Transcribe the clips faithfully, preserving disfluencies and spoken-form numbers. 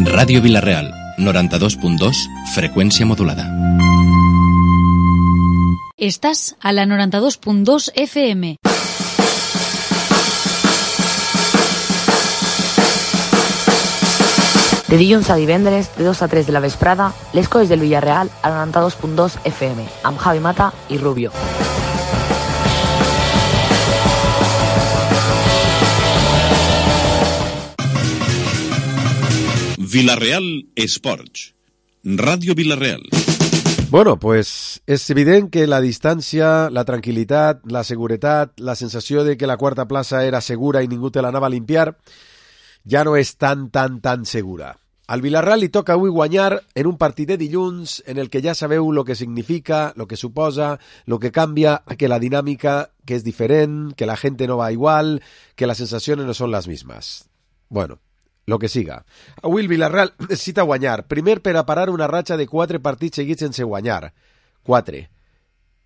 Ràdio Vila-real, noranta-dos punt dos, freqüència modulada. Estàs a la noranta-dos punt dos F M. De dilluns a divendres, de dos a tres de la vesprada, les coses del Villarreal a noranta-dos punt dos F M, amb Javi Mata i Rubio. Vila-real Esports, Ràdio Vila-real. Bueno, pues és evident que la distància, la tranquil·litat, la seguretat, la sensació de que la quarta plaça era segura i ningú te l'anava a limpiar, ja no és tan, tan, tan segura. Al Villarreal li toca avui guanyar en un partit de dilluns en el que ja sabeu el que significa, el que suposa, el que canvia, que la dinàmica que és diferent, que la gent no va igual, que les sensacions no són les mismes. Bueno, lo que siga. Avui el Villarreal necessita guanyar. Primer, per a parar una ratxa de quatre partits seguits sense guanyar. Quatre.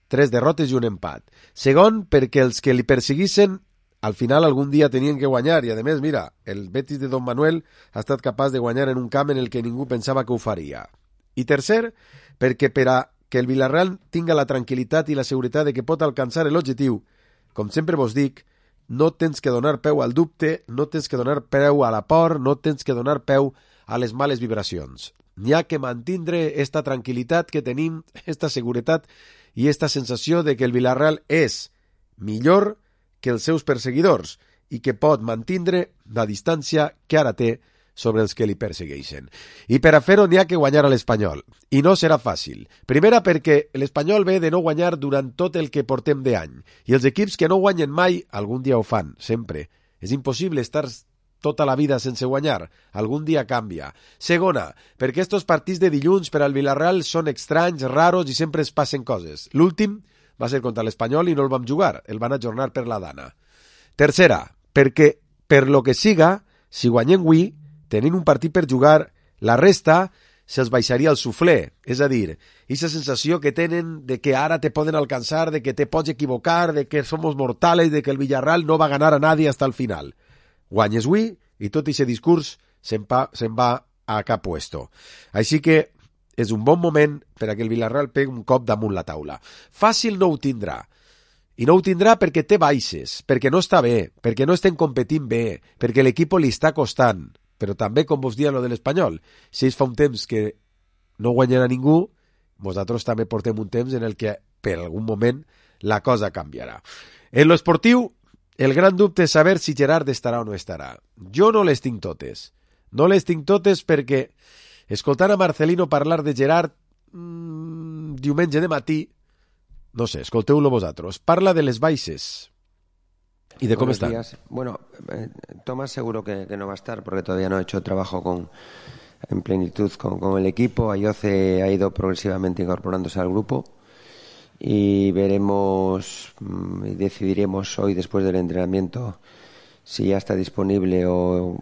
Tres derrotes i un empat. Segon, perquè els que li perseguissin al final algun dia tenien que guanyar. I a més, mira, el Betis de Don Manuel ha estat capaç de guanyar en un camp en el que ningú pensava que ho faria. I tercer, perquè per a que el Villarreal tinga la tranquil·litat i la seguretat de que pot alcançar l'objectiu, com sempre vos dic, no tens que donar peu al dubte, no tens que donar peu a la por, no tens que donar peu a les males vibracions. N'hi ha que mantindre esta tranquil·litat que tenim, esta seguretat i esta sensació de que el Villarreal és millor que els seus perseguidors i que pot mantindre la distància que ara té sobre els que li persegueixen. I per a fer-ho n'hi ha que guanyar a l'Espanyol. I no serà fàcil. Primera perquè l'Espanyol ve de no guanyar durant tot el que portem d'any. I els equips que no guanyen mai, algun dia ho fan, sempre. És impossible estar tota la vida sense guanyar. Algun dia canvia. Segona, perquè estos partits de dilluns per al Villarreal són estranys, raros i sempre es passen coses. L'últim va ser contra l'Espanyol i no el vam jugar. El van ajornar per la Dana. Tercera, perquè per lo que siga, si guanyem avui, tenint un partit per jugar, la resta se'ls baixaria el suflé. És a dir, aquesta sensació que tenen de que ara te poden alcançar, de que te pots equivocar, de que somos mortales, de que el Villarreal no va a ganar a nadie hasta el final. Guanyes avui i tot aquest discurs se'n va, se'n va a cap puesto. Així que és un bon moment per a que el Villarreal pegui un cop damunt la taula. Fàcil no ho tindrà. I no ho tindrà perquè té baixes, perquè no està bé, perquè no estem competint bé, perquè l'equip li està costant. Però també, com vos diuen lo de l'Espanyol, si ells fa un temps que no guanyen a ningú, nosaltres també portem un temps en el que, per algun moment, la cosa canviarà. En lo esportiu, el gran dubte és saber si Gerard estarà o no estarà. Jo no les tinc totes. No les tinc totes perquè, escoltant a Marcelino parlar de Gerard mmm, diumenge de matí, no sé, escolteu-lo vosaltres, parla de les baixes. ¿Y de cómo Buenos están? días. Bueno, eh, Tomás seguro que, que no va a estar porque todavía no ha hecho trabajo con, en plenitud con, con el equipo. Ayoce ha ido progresivamente incorporándose al grupo y veremos y decidiremos hoy después del entrenamiento si ya está disponible o,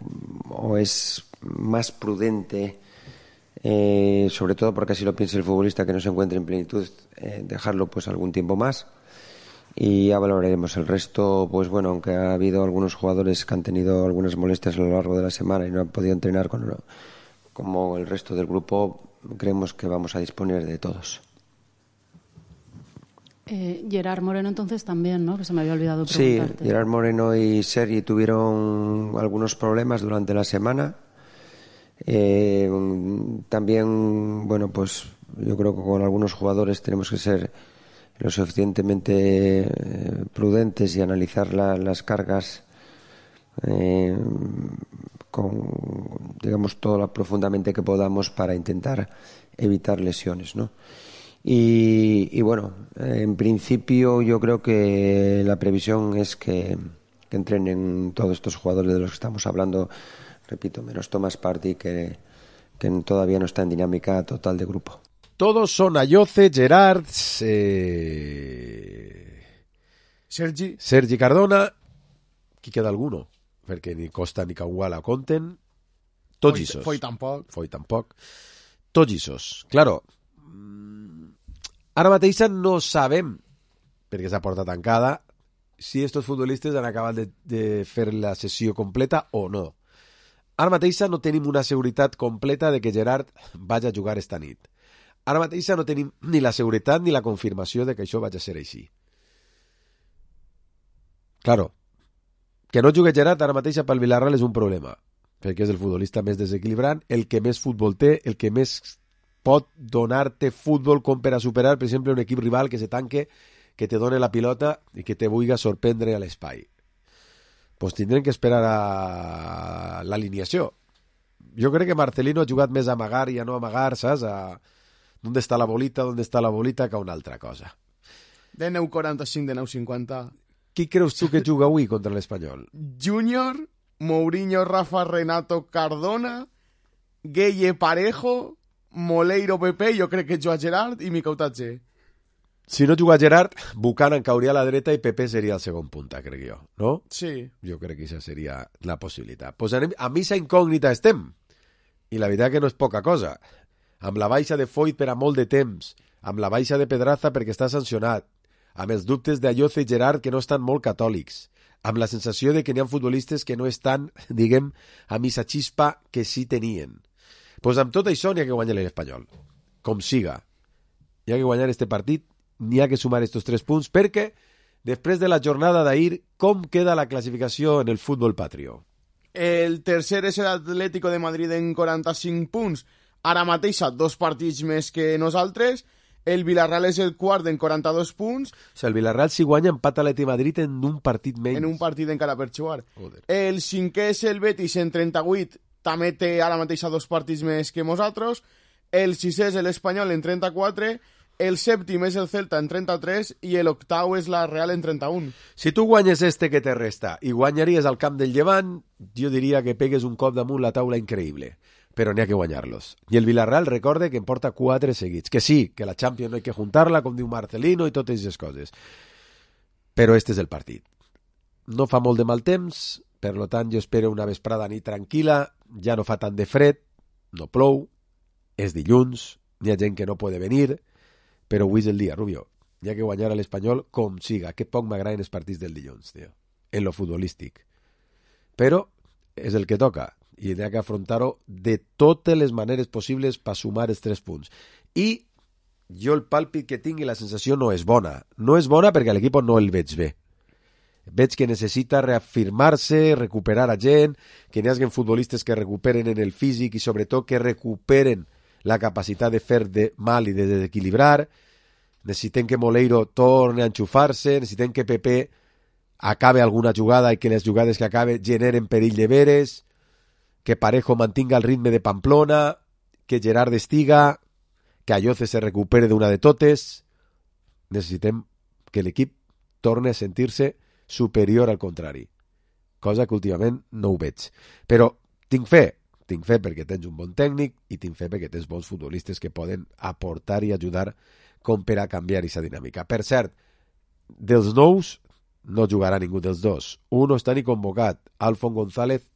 o es más prudente, eh, sobre todo porque así lo piensa el futbolista que no se encuentre en plenitud, eh, dejarlo pues algún tiempo más. Y ya valoraremos el resto. Pues bueno, aunque ha habido algunos jugadores que han tenido algunas molestias a lo largo de la semana y no han podido entrenar con, como el resto del grupo, creemos que vamos a disponer de todos. Eh, Gerard Moreno entonces también, ¿no? Que se me había olvidado preguntarte. Sí, Gerard Moreno y Sergi tuvieron algunos problemas durante la semana. Eh, también, bueno, pues yo creo que con algunos jugadores tenemos que ser lo suficientemente eh, prudentes y analizar la, las cargas eh, con, digamos, todo lo profundamente que podamos para intentar evitar lesiones, ¿no? Y, y bueno, eh, en principio yo creo que la previsión es que, que entrenen todos estos jugadores de los que estamos hablando, repito, menos Thomas Partey, que, que todavía no está en dinámica total de grupo. Todos son Ayoce, Gerard, eh... Sergi. Sergi Cardona. Qui queda alguno? Perquè ni Costa ni Kawala compten. Tots Foi, isos. foi tampoc. Foi tampoc. Tots isos. Claro, ara mateix no sabem, perquè és a porta tancada, si estos futbolistes han acabat de, de fer la sessió completa o no. Ara mateix no tenim una seguretat completa de que Gerard vagi a jugar esta nit. Ara mateix no tenim ni la seguretat ni la confirmació de que això vagi a ser així. Claro, que no jugui Gerard ara mateix pel Villarreal és un problema, perquè és el futbolista més desequilibrant, el que més futbol té, el que més pot donar-te futbol com per a superar, per exemple, un equip rival que se tanque, que te done la pilota i que te vulgui sorprendre a l'espai. Pues tindrem que esperar a l'alineació. Jo crec que Marcelino ha jugat més a amagar i a no amagar, saps? A on està la bolita, on està la bolita, que una altra cosa. De nou quaranta-cinc, de nou cinquanta. Qui creus tu que juga avui contra l'Espanyol? Júnior, Mourinho, Rafa, Renato, Cardona, Gueye, Parejo, Moleiro, Pepe, jo crec que juga Gerard i Miquel Tatge. Si no juga Gerard, Buchanan cauria a la dreta i Pepe seria el segon punta, crec jo, no? Sí. Jo crec que això seria la possibilitat. Pues anem, a missa incògnita estem, i la veritat que no és poca cosa. Amb la baixa de Foyt per a molt de temps, amb la baixa de Pedraza perquè està sancionat, amb els dubtes d'Ayoce i Gerard que no estan molt catòlics, amb la sensació de que n'hi ha futbolistes que no estan, diguem, a missa xispa que sí tenien. Pues amb tot això n'hi ha que guanyar l'Espanyol, com siga. N'hi ha que guanyar este partit, n'hi ha que sumar estos tres punts, perquè després de la jornada d'ahir, com queda la classificació en el futbol patrio? El tercer és l'Atlético de Madrid en quaranta-cinc punts, ara mateix a dos partits més que nosaltres. El Villarreal és el quart en quaranta-dos punts. O sigui, el Villarreal si guanya empata l'Atlètic Madrid en un partit menys. En un partit encara per jugar. Joder. El cinquè és el Betis en trenta-vuit, també té ara mateix a dos partits més que nosaltres. El sisè és l'Espanyol en trenta-quatre, el sèptim és el Celta en trenta-tres i l'octau és la Real en trenta-un. Si tu guanyes este que te resta i guanyaries al camp del Llevant, jo diria que pegues un cop damunt la taula increïble. Però n'hi ha que guanyar-los. I el Villarreal recorde que en porta quatre seguits. Que sí, que la Champions no hay que juntar-la, com diu Marcelino i totes aquestes coses. Però este és el partit. No fa molt de mal temps, per lo tant jo espero una vesprada nit tranquil·la, ja no fa tant de fred, no plou, és dilluns, n'hi ha gent que no pot venir, però avui és el dia, Rubio. N'hi ha que guanyar a l'Espanyol com siga. Que poc m'agraden els partits del dilluns, tio. En lo futbolístic. Però és el que toca. I n'hi ha que afrontar-ho de totes les maneres possibles per sumar els tres punts. I jo el pàlpit que tinc i la sensació no és bona. No és bona perquè a l'equip no el veig bé. Veig que necessita reafirmar-se, recuperar a gent, que n'hi hagi futbolistes que recuperen en el físic i sobretot que recuperen la capacitat de fer de mal i de desequilibrar. Necessitem que Moleiro torni a enxufar-se, necessitem que Pepe acabe alguna jugada i que les jugades que acabe generen perill de veres, que Parejo mantinga el ritme de Pamplona, que Gerard estiga, que Ayoce se recupere d'una de totes. Necessitem que l'equip torni a sentir-se superior al contrari, cosa que últimament no ho veig. Però tinc fe, tinc fe perquè tens un bon tècnic i tinc fe perquè tens bons futbolistes que poden aportar i ajudar com per a canviar aquesta dinàmica. Per cert, dels nous no jugarà ningú dels dos. Un no està ni convocat. Alfon González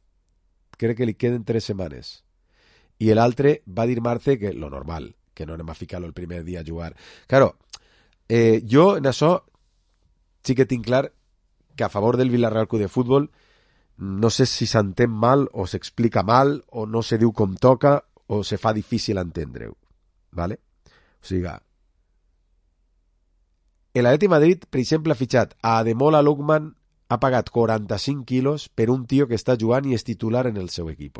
crec que li queden tres setmanes. I l'altre va dir Marce que lo normal, que no anem a ficar-lo el primer dia a jugar. Claro, eh, jo en això sí que tinc clar que a favor del Villarreal Club de Futbol no sé si s'entén mal o s'explica mal o no se diu com toca o se fa difícil entendre-ho. ¿Vale? O sigui, l'Atlètic Madrid, per exemple, ha fitxat a Ademola Lookman, ha pagat quaranta-cinc quilos per un tio que està jugant i és titular en el seu equip.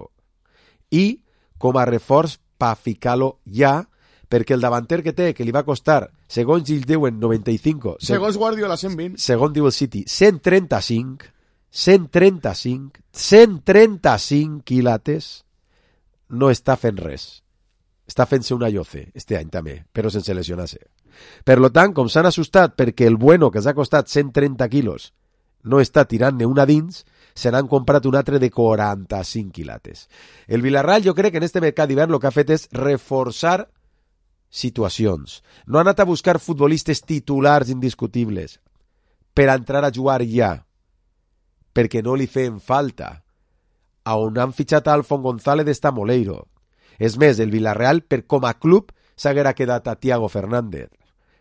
I com a reforç per ficar-lo ja, perquè el davanter que té, que li va costar, segons ells diuen noranta-cinc... Segons Guardiola, cent vint. Segons diu el City, cent trenta-cinc, cent trenta-cinc, cent trenta-cinc quilates, no està fent res. Està fent-se un Ayoce, este any també, però sense lesionar-se. Per lo tant, com s'han assustat perquè el bueno, que s'ha costat cent trenta quilos, no està tirant-ne una dins, se n'han comprat un altre de quaranta-cinc quilates. El Villarreal, jo crec que en este mercat d'hivern el que ha fet és reforçar situacions. No ha anat a buscar futbolistes titulars indiscutibles per entrar a jugar ja, perquè no li feien falta. A on han fitxat a Alfon González està Moleiro. És més, el Villarreal, per com a club, s'haguera quedat a Thiago Fernández,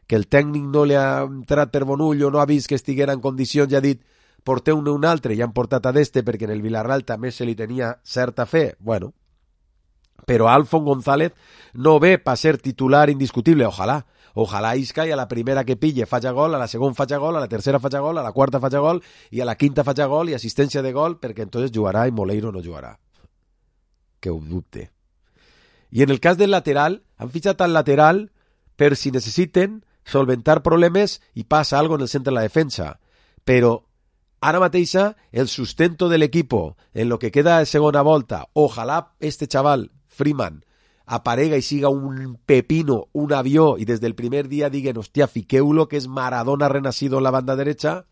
que el tècnic no li ha entrat per bon ull o no ha vist que estiguera en condicions i ha dit porteu un un altre i han portat a d'este perquè en el Villarreal també se li tenia certa fe, bueno, però Alfon González no ve per ser titular indiscutible, ojalà, ojalà Isca i a la primera que pille faig gol, a la segona faig gol, a la tercera faig gol, a la quarta faig gol i a la quinta faig gol i assistència de gol, perquè entonces jugarà i Moleiro no jugarà. Que ho dubte. I en el cas del lateral, han fitxat al lateral per si necessiten solventar problemes i passa algo en el centre de la defensa. Però ara mateixa el sustento del equipo en lo que queda de segona volta, ojalà este chaval, Freeman, aparega i siga un pepino, un avió, i des del primer dia diguen, hòstia, fiqueu-lo que és Maradona renacido en la banda derecha,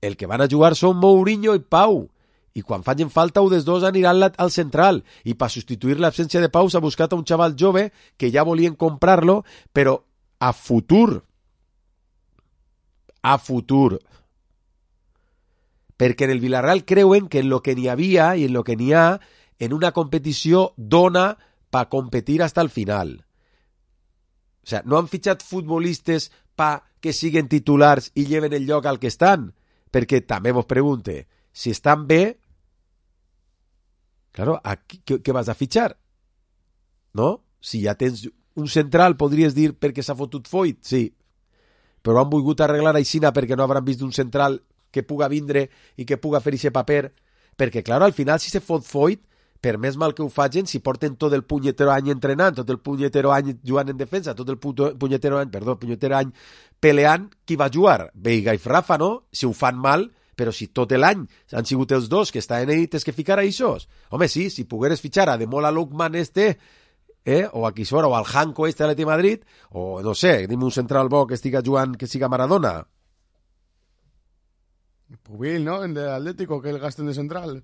el que van a jugar són Mourinho i Pau, i quan facin falta un dels dos aniran al central, i per substituir l'absència de Pau s'ha buscat a un xaval jove que ja volien comprar-lo, però a futur, a futur, perquè en el Villarreal creuen que en lo que n'hi havia i en lo que n'hi ha en una competició dona per competir hasta el final. O sea, no han fitxat futbolistes pa que siguen titulars i lleven el lloc al que estan, perquè també vos pregunte, si estan bé, claro, aquí, què, què vas a fitxar? No? Si ja tens un central, podries dir perquè s'ha fotut Foyt, sí, però han volgut arreglar aixina perquè no hauran vist un central que puga vindre i que puga fer aquest paper, perquè, claro, al final, si se fot Foyt, per més mal que ho facin, si porten tot el punyetero any entrenant, tot el punyetero any jugant en defensa, tot el punyetero any, perdó, punyetero any peleant, qui va jugar? Veiga i Rafa, no? Si ho fan mal, però si tot l'any han sigut els dos que estaven ahí, tens que ficar a eixos. Home, sí, si pogueres fitxar a Demola Lookman este, eh, o a Quisora, o al Janko este de l'Atleti Madrid, o no sé, dime un central bo que estiga jugant, que siga Maradona. Pubil, ¿no? En el Atlético, que el gasten de central.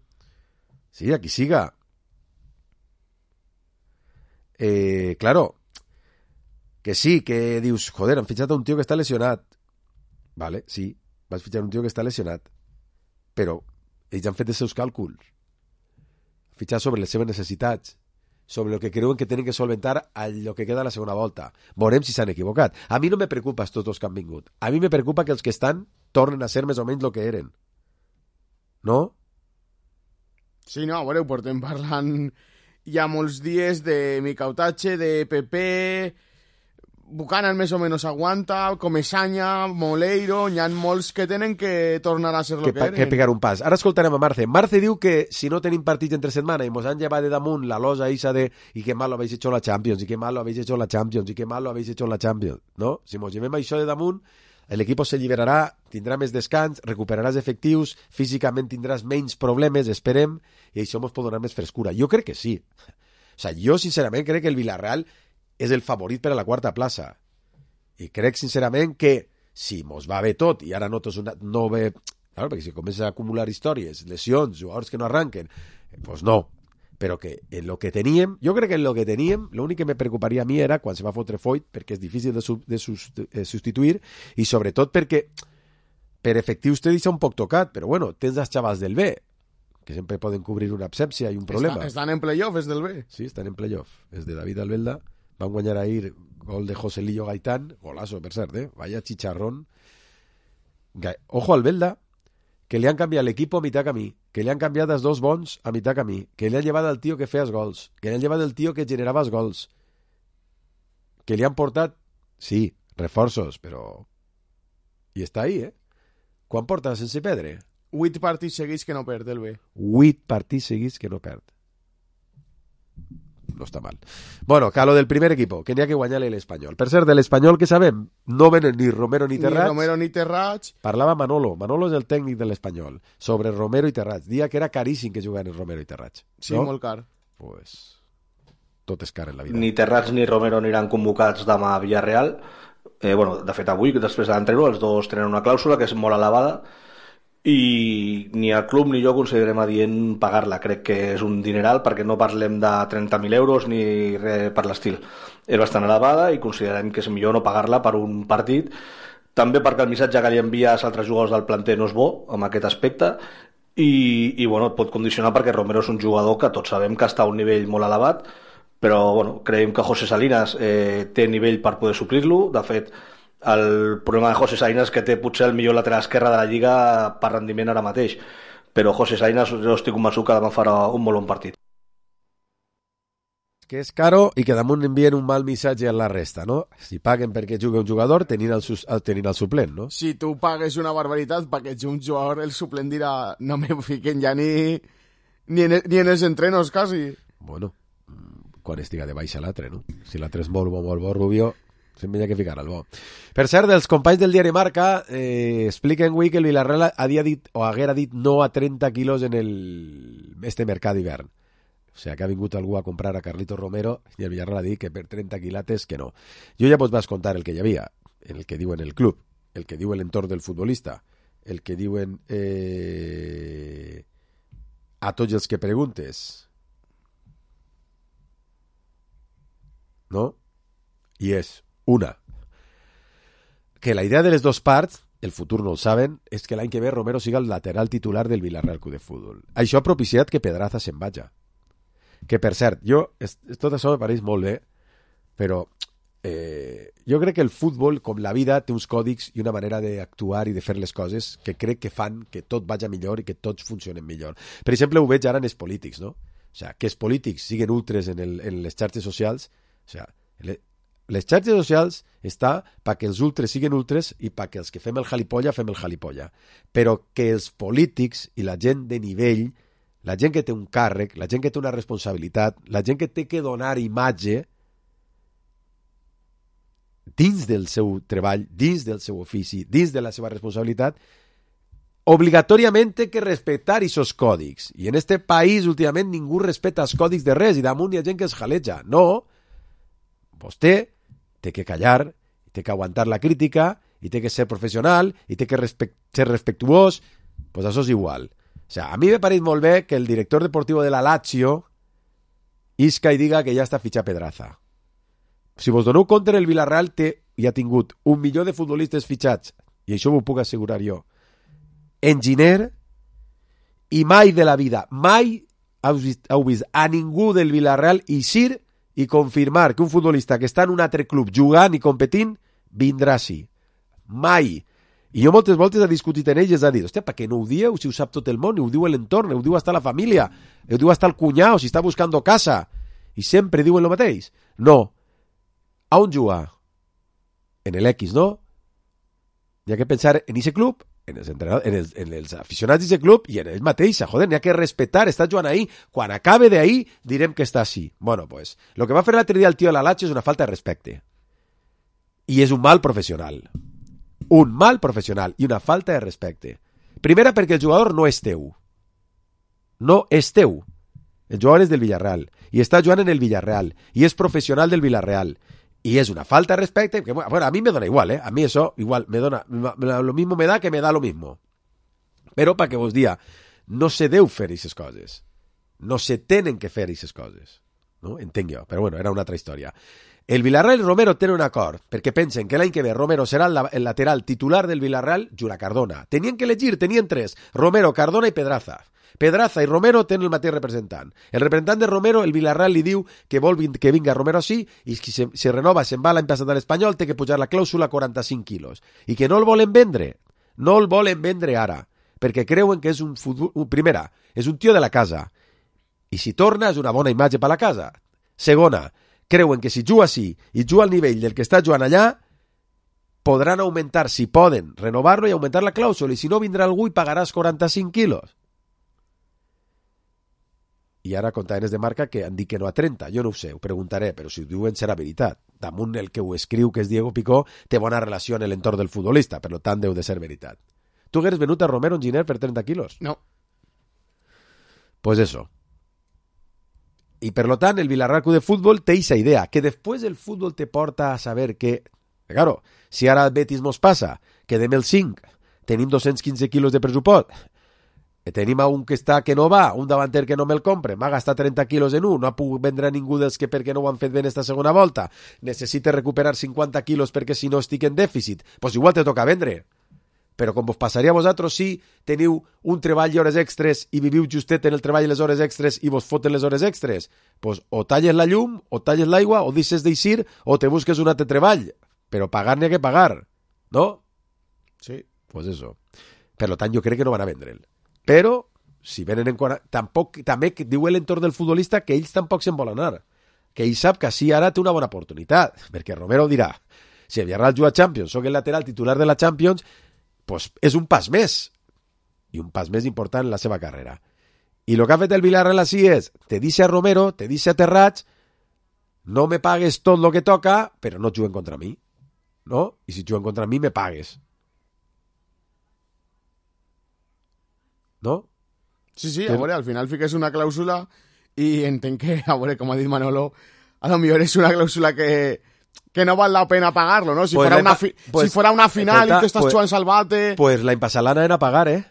Sí, aquí siga. Eh, claro, que sí, que dius, joder, han fitxat a un tio que està lesionat. Vale, sí, vas fitxar un tio que està lesionat. Però ells han fet els seus càlculs. Fitxar sobre les seves necessitats, sobre el que creuen que tenen que solventar el que queda a la segona volta. Veurem si s'han equivocat. A mi no me preocupa tots els que han vingut. A mi me preocupa que els que estan tornen a ser més o menys el que eren. No? Sí, no, a veure, ho portem parlant hi ha molts dies de Micautache, de Pepe, Buchanan més o menys aguanta, Comesaña, Moleiro, n'hi ha molts que tenen que tornar a ser el que, que eren. Que pegar un pas. Ara escoltarem a Marce. Marce diu que si no tenim partits entre setmana i mos han llevat de damunt la losa isa de i que mal lo habéis hecho la Champions, i que mal lo habéis hecho la Champions, i que mal lo habéis hecho la Champions, no? Si mos llevem això de damunt, l'equip se alliberarà, tindrà més descans, recuperaràs efectius, físicament tindràs menys problemes, esperem, i això ens pot donar més frescura. Jo crec que sí. O sea, jo sincerament crec que el Villarreal és el favorit per a la quarta plaça. I crec sincerament que si mos va bé tot, i ara notes una, no ve... Claro, perquè si comença a acumular històries, lesions, jugadors que no arranquen, pues no. Però que en lo que teníem, jo crec que en lo que teníem, l'únic que me preocuparia a mi era quan se va fotre Foyt, perquè és difícil de, sub, de, sus, de substituir, i sobretot perquè per efectius te deixa un poc tocat, però bueno, tens els xavals del B, que sempre poden cobrir una absència i un problema. Està, estan en playoff, és del B. Sí, estan en playoff. És de David Albelda. Van guanyar ahir gol de Joselillo Gaitán, golazo, per cert, eh? Vaya chicharrón. Ga... Ojo Albelda, que li han canviat l'equip a mitjà camí, que li han canviat els dos bons a mitjà camí, que li han llevat el tio que feia els gols, que li han llevat el tio que generava els gols, que li han portat, sí, reforços, però... I està ahí, eh? Quan porta sense perdre? Vuit partits seguits que no perd el B. Vuit partits seguits que no perd. No està mal. Bueno, que a lo del primer equipo, que n'hi ha que guanyar-li l'Espanyol. Per cert, de l'Espanyol que sabem, no venen ni Romero ni Terrats. Ni Romero ni Terrats. Parlava Manolo. Manolo és el tècnic de l'Espanyol. Sobre Romero i Terrats. Dia que era caríssim que juguen Romero i Terrats. Sí, no? molt car. Pues tot és car en la vida. Ni Terrats ni Romero aniran convocats demà a Villarreal. Eh, bueno, de fet, avui, després de l'entreno, els dos tenen una clàusula que és molt elevada i ni el club ni jo considerem adient pagar-la. Crec que és un dineral perquè no parlem de trenta mil euros ni res per l'estil. És bastant elevada i considerem que és millor no pagar-la per un partit, també perquè el missatge que li envia als altres jugadors del planter no és bo en aquest aspecte i, i bueno, pot condicionar perquè Romero és un jugador que tots sabem que està a un nivell molt elevat, però bueno, creiem que José Salinas eh, té nivell per poder suplir-lo. De fet, El problema de José Sainas és que té potser el millor lateral esquerre de la Lliga per rendiment ara mateix, però José Sainas jo estic convençut que demà farà un molt bon partit. Que és caro i que damunt envien un mal missatge a la resta, no? Si paguen perquè jugui un jugador, tenint el, sus, tenint el suplent, no? Si tu pagues una barbaritat perquè jugui un jugador, el suplent dirà no me fiquen ja ni, ni, en, ni en els entrenos, quasi. Bueno, quan estiga de baixa l'altre, no? Si l'altre és molt bo, molt bo, Rubio, sempre hi ha que ficar el bo. Per cert, els companys del diari Marca eh, expliquen avui que el Villarreal havia dit, o haguera dit no a trenta quilos en el, este mercat d'hivern. O sigui, que ha vingut algú a comprar a Carlitos Romero i el Villarreal ha dit que per trenta quilates que no. Jo ja vos vas contar el que hi havia, el que diuen el club, el que diu l'entorn del futbolista, el que diuen eh, a tots els que preguntes. No? I és una, que la idea de les dues parts, el futur no ho saben, és que l'any que ve Romero siga el lateral titular del Villarreal Club de Futbol. Això ha propiciat que Pedraza se'n vaja. Que, per cert, jo, es, tot això me pareix molt bé, però eh, jo crec que el futbol, com la vida, té uns còdics i una manera d'actuar i de fer les coses que crec que fan que tot vagi millor i que tots funcionen millor. Per exemple, ho veig ara en els polítics, no? O sigui, que els polítics siguen ultres en, el, en les xarxes socials, o sigui, les xarxes socials està perquè els ultres siguen ultres i perquè els que fem el jalipolla fem el jalipolla. Però que els polítics i la gent de nivell, la gent que té un càrrec, la gent que té una responsabilitat, la gent que té que donar imatge dins del seu treball, dins del seu ofici, dins de la seva responsabilitat, obligatòriament té que respectar aquests còdics. I en este país, últimament, ningú respecta els còdics de res i damunt hi ha gent que es jaleja. No, vostè té que callar, té que aguantar la crítica, i té que ser professional, i té que respect, ser respectuós, pues això és igual. O sea, a mi me pareix molt bé que el director deportiu de la Lazio isca i diga que ja està fitxat Pedraza. Si vos doneu compte, el Villarreal té i ha tingut un milió de futbolistes fitxats, i això ho puc assegurar jo, en Giner, i mai de la vida, mai heu vist, heu vist a ningú del Villarreal eixir i confirmar que un futbolista que està en un altre club jugant i competint vindrà així. Mai. I jo moltes voltes he discutit en ells i he dit, hòstia, per què no ho dieu si ho sap tot el món, ho diu l'entorn, ho diu hasta la família, ho diu hasta el cunyau, si està buscant casa, i sempre diuen el mateix. No. A on juga? En l'X, no? Hi ha que pensar en aquest club, en els, en els, en els aficionats d'aquest club i en ells mateixa, joder, n'hi ha que respectar, està jugant ahí, quan acabe d'ahí direm que està així. Bueno, pues, lo que va fer l'altre dia el tio de la Lazio és una falta de respecte. I és un mal professional. Un mal professional i una falta de respecte. Primera, perquè el jugador no és teu. No és teu. El jugador és del Villarreal i està jugant en el Villarreal i és professional del Villarreal. Y es una falta de respeto que, bueno, a mí me da igual, ¿eh? A mí eso igual me dona, lo mismo me da que me da lo mismo. Però para que vos dia, no se deu fer aquestes coses. No se tenen que fer aquestes coses. No? Entenc jo, però bueno, era una altra història. El Villarreal i Romero tenen un acord, perquè pensen que l'any que ve Romero serà el lateral titular del Villarreal, Jura Cardona. Tenien que elegir, tenien tres, Romero, Cardona i Pedraza. Pedraza i Romero tenen el mateix representant. El representant de Romero, el Villarreal li diu que vol que vinga Romero així i si se, se renova, se'n va l'any passat a l'Espanyol, té que pujar la clàusula a quaranta-cinc quilos. I que no el volen vendre. No el volen vendre ara, perquè creuen que és un futbol... Primera, és un tio de la casa. I si torna és una bona imatge per la casa. Segona, creuen que si juga així i juga al nivell del que està jugant allà, podran augmentar, si poden, renovar-lo i augmentar la clàusula. I si no, vindrà algú i pagaràs quaranta-cinc quilos. I ara contavenes de Marca que han dit que no a trenta, jo no ho sé, ho preguntaré, però si ho diuen serà veritat. Damunt el que ho escriu, que és Diego Picó, té bona relació en l'entorn del futbolista, per tant deu de ser veritat. Tu hagueres venut a Romero en Giner per trenta quilos? No. Pues eso. I per lo tant, el Villarreal Club de Futbol té esa idea, que després el futbol te porta a saber que, claro, si ara al Betis mos passa, que dem el cinc, tenim dos-cents quinze quilos de pressupost, tenim un que està que no va, un davanter que no me'l compre, m'ha gastat trenta quilos en un, no ha pogut vendre a ningú dels que perquè no ho han fet bé en esta segona volta, necessita recuperar cinquanta quilos perquè si no estic en dèficit, pues igual te toca vendre. Però com vos passaria a vosaltres si teniu un treball i hores extres i viviu justet en el treball i les hores extres i vos foten les hores extres, pues o talles la llum, o talles l'aigua, o deixes d'eixir, o te busques un altre treball, però pagar n'hi ha que pagar. no? Sí. Pues eso. Per tant, jo crec que no van a vendre'l. Però, si venen en... Tampoc, també diu l'entorn del futbolista que ells tampoc se'n volen anar. Que ell sap que sí, ara té una bona oportunitat. Perquè Romero dirà, si el Villarreal juga a Champions, soc el lateral titular de la Champions, pues és un pas més. I un pas més important en la seva carrera. I el que ha fet el Villarreal així és, te dice a Romero, te dice a Terrats, no me pagues tot lo que toca, però no juguen contra mi. No? I si juguen contra mi, me pagues. No? Sí, sí, a veure, al final fiques una clàusula i entenc que, a veure, com ha dit Manolo, a lo millor és una clàusula que, que no val la pena pagar-lo, ¿no? Si, pues fuera, una fi pues, si fuera una final escolta, i tu estàs pues, jugant salvate... Pues l'any passat l'anaven a pagar, eh?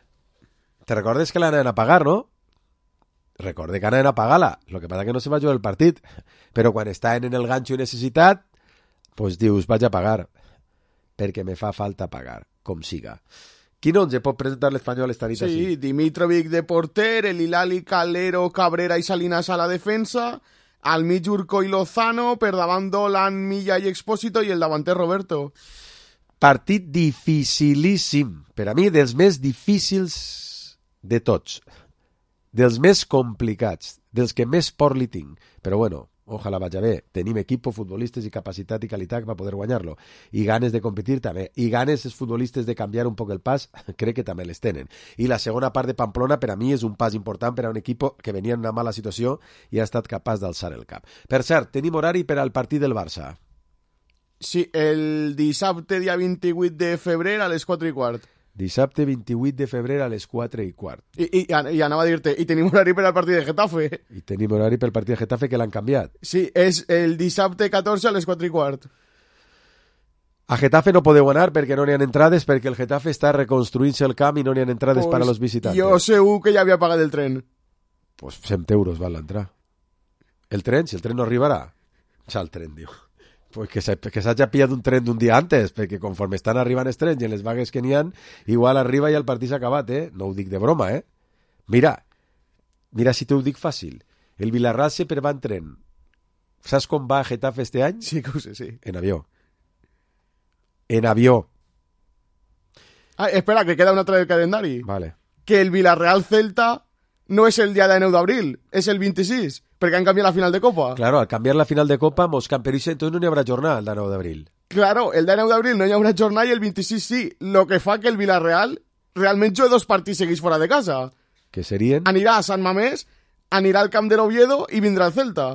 Te recordes que l'anaven a pagar, no? Recorde que anaven a pagar-la. Lo que passa que no se va jugar el partit. Però quan estaven en el ganxo i necessitat, pues dius, vaig a pagar. Perquè me fa falta pagar, com siga. Quin onze pot presentar l'Espanyol esta nit sí, així? Sí, Dimitrovic de porter, el Hilali, Calero, Cabrera i Salinas a la defensa, al mig Urco i Lozano, per davant Dolan, Milla i Expósito i el davanter Roberto. Partit dificilíssim. Per a mi, dels més difícils de tots. Dels més complicats. Dels que més por li tinc. Però bueno, ojalà vaja bé. Tenim equip, futbolistes i capacitat i qualitat per poder guanyar-lo. I ganes de competir també. I ganes els futbolistes de canviar un poc el pas, crec que també les tenen. I la segona part de Pamplona per a mi és un pas important per a un equip que venia en una mala situació i ha estat capaç d'alçar el cap. Per cert, tenim horari per al partit del Barça. Sí, el dissabte dia vint-i-vuit de febrer a les quatre i quart. Dissabte vint-i-vuit de febrer a les quatre i quart. I, i, i anava a dir-te, i tenim horari per al partit de Getafe. I tenim horari pel partit de Getafe que l'han canviat. Sí, és el dissabte catorze a les quatre i quart. A Getafe no podeu anar perquè no n'hi ha entrades, perquè el Getafe està reconstruint-se el camp i no n'hi ha entrades pues, per a los visitantes. Jo segur que ja havia pagat el tren. Pues cent euros val l'entrar. El tren, si el tren no arribarà. Ja el tren, diu. Pues que s'hagi pillat un tren d'un dia antes, perquè conforme estan arribant els trens i en les vagues que n'hi ha, igual arriba i el partit s'ha acabat, eh? No ho dic de broma, eh? Mira, mira si t'ho dic fàcil. El Villarreal sempre va en tren. Saps com va a Getafe este any? Sí, que ho sé, sí. En avió. En avió. Ah, espera, que queda una altra del calendari. Vale. Que el Villarreal-Celta no és el dia de nou d'abril, és el vint-i-sis. Perquè han canviat la final de Copa. Claro, al canviar la final de Copa, mos camperisce, entonces no n'hi haurà jornada el de nou d'abril. Claro, el de nou d'abril no hi haurà jornada i el vint-i-sis sí. Lo que fa que el Villarreal realment jugui dos partits seguits fora de casa. Que serien? Anirà a Sant Mamés, anirà al camp de l'Oviedo i vindrà al Celta.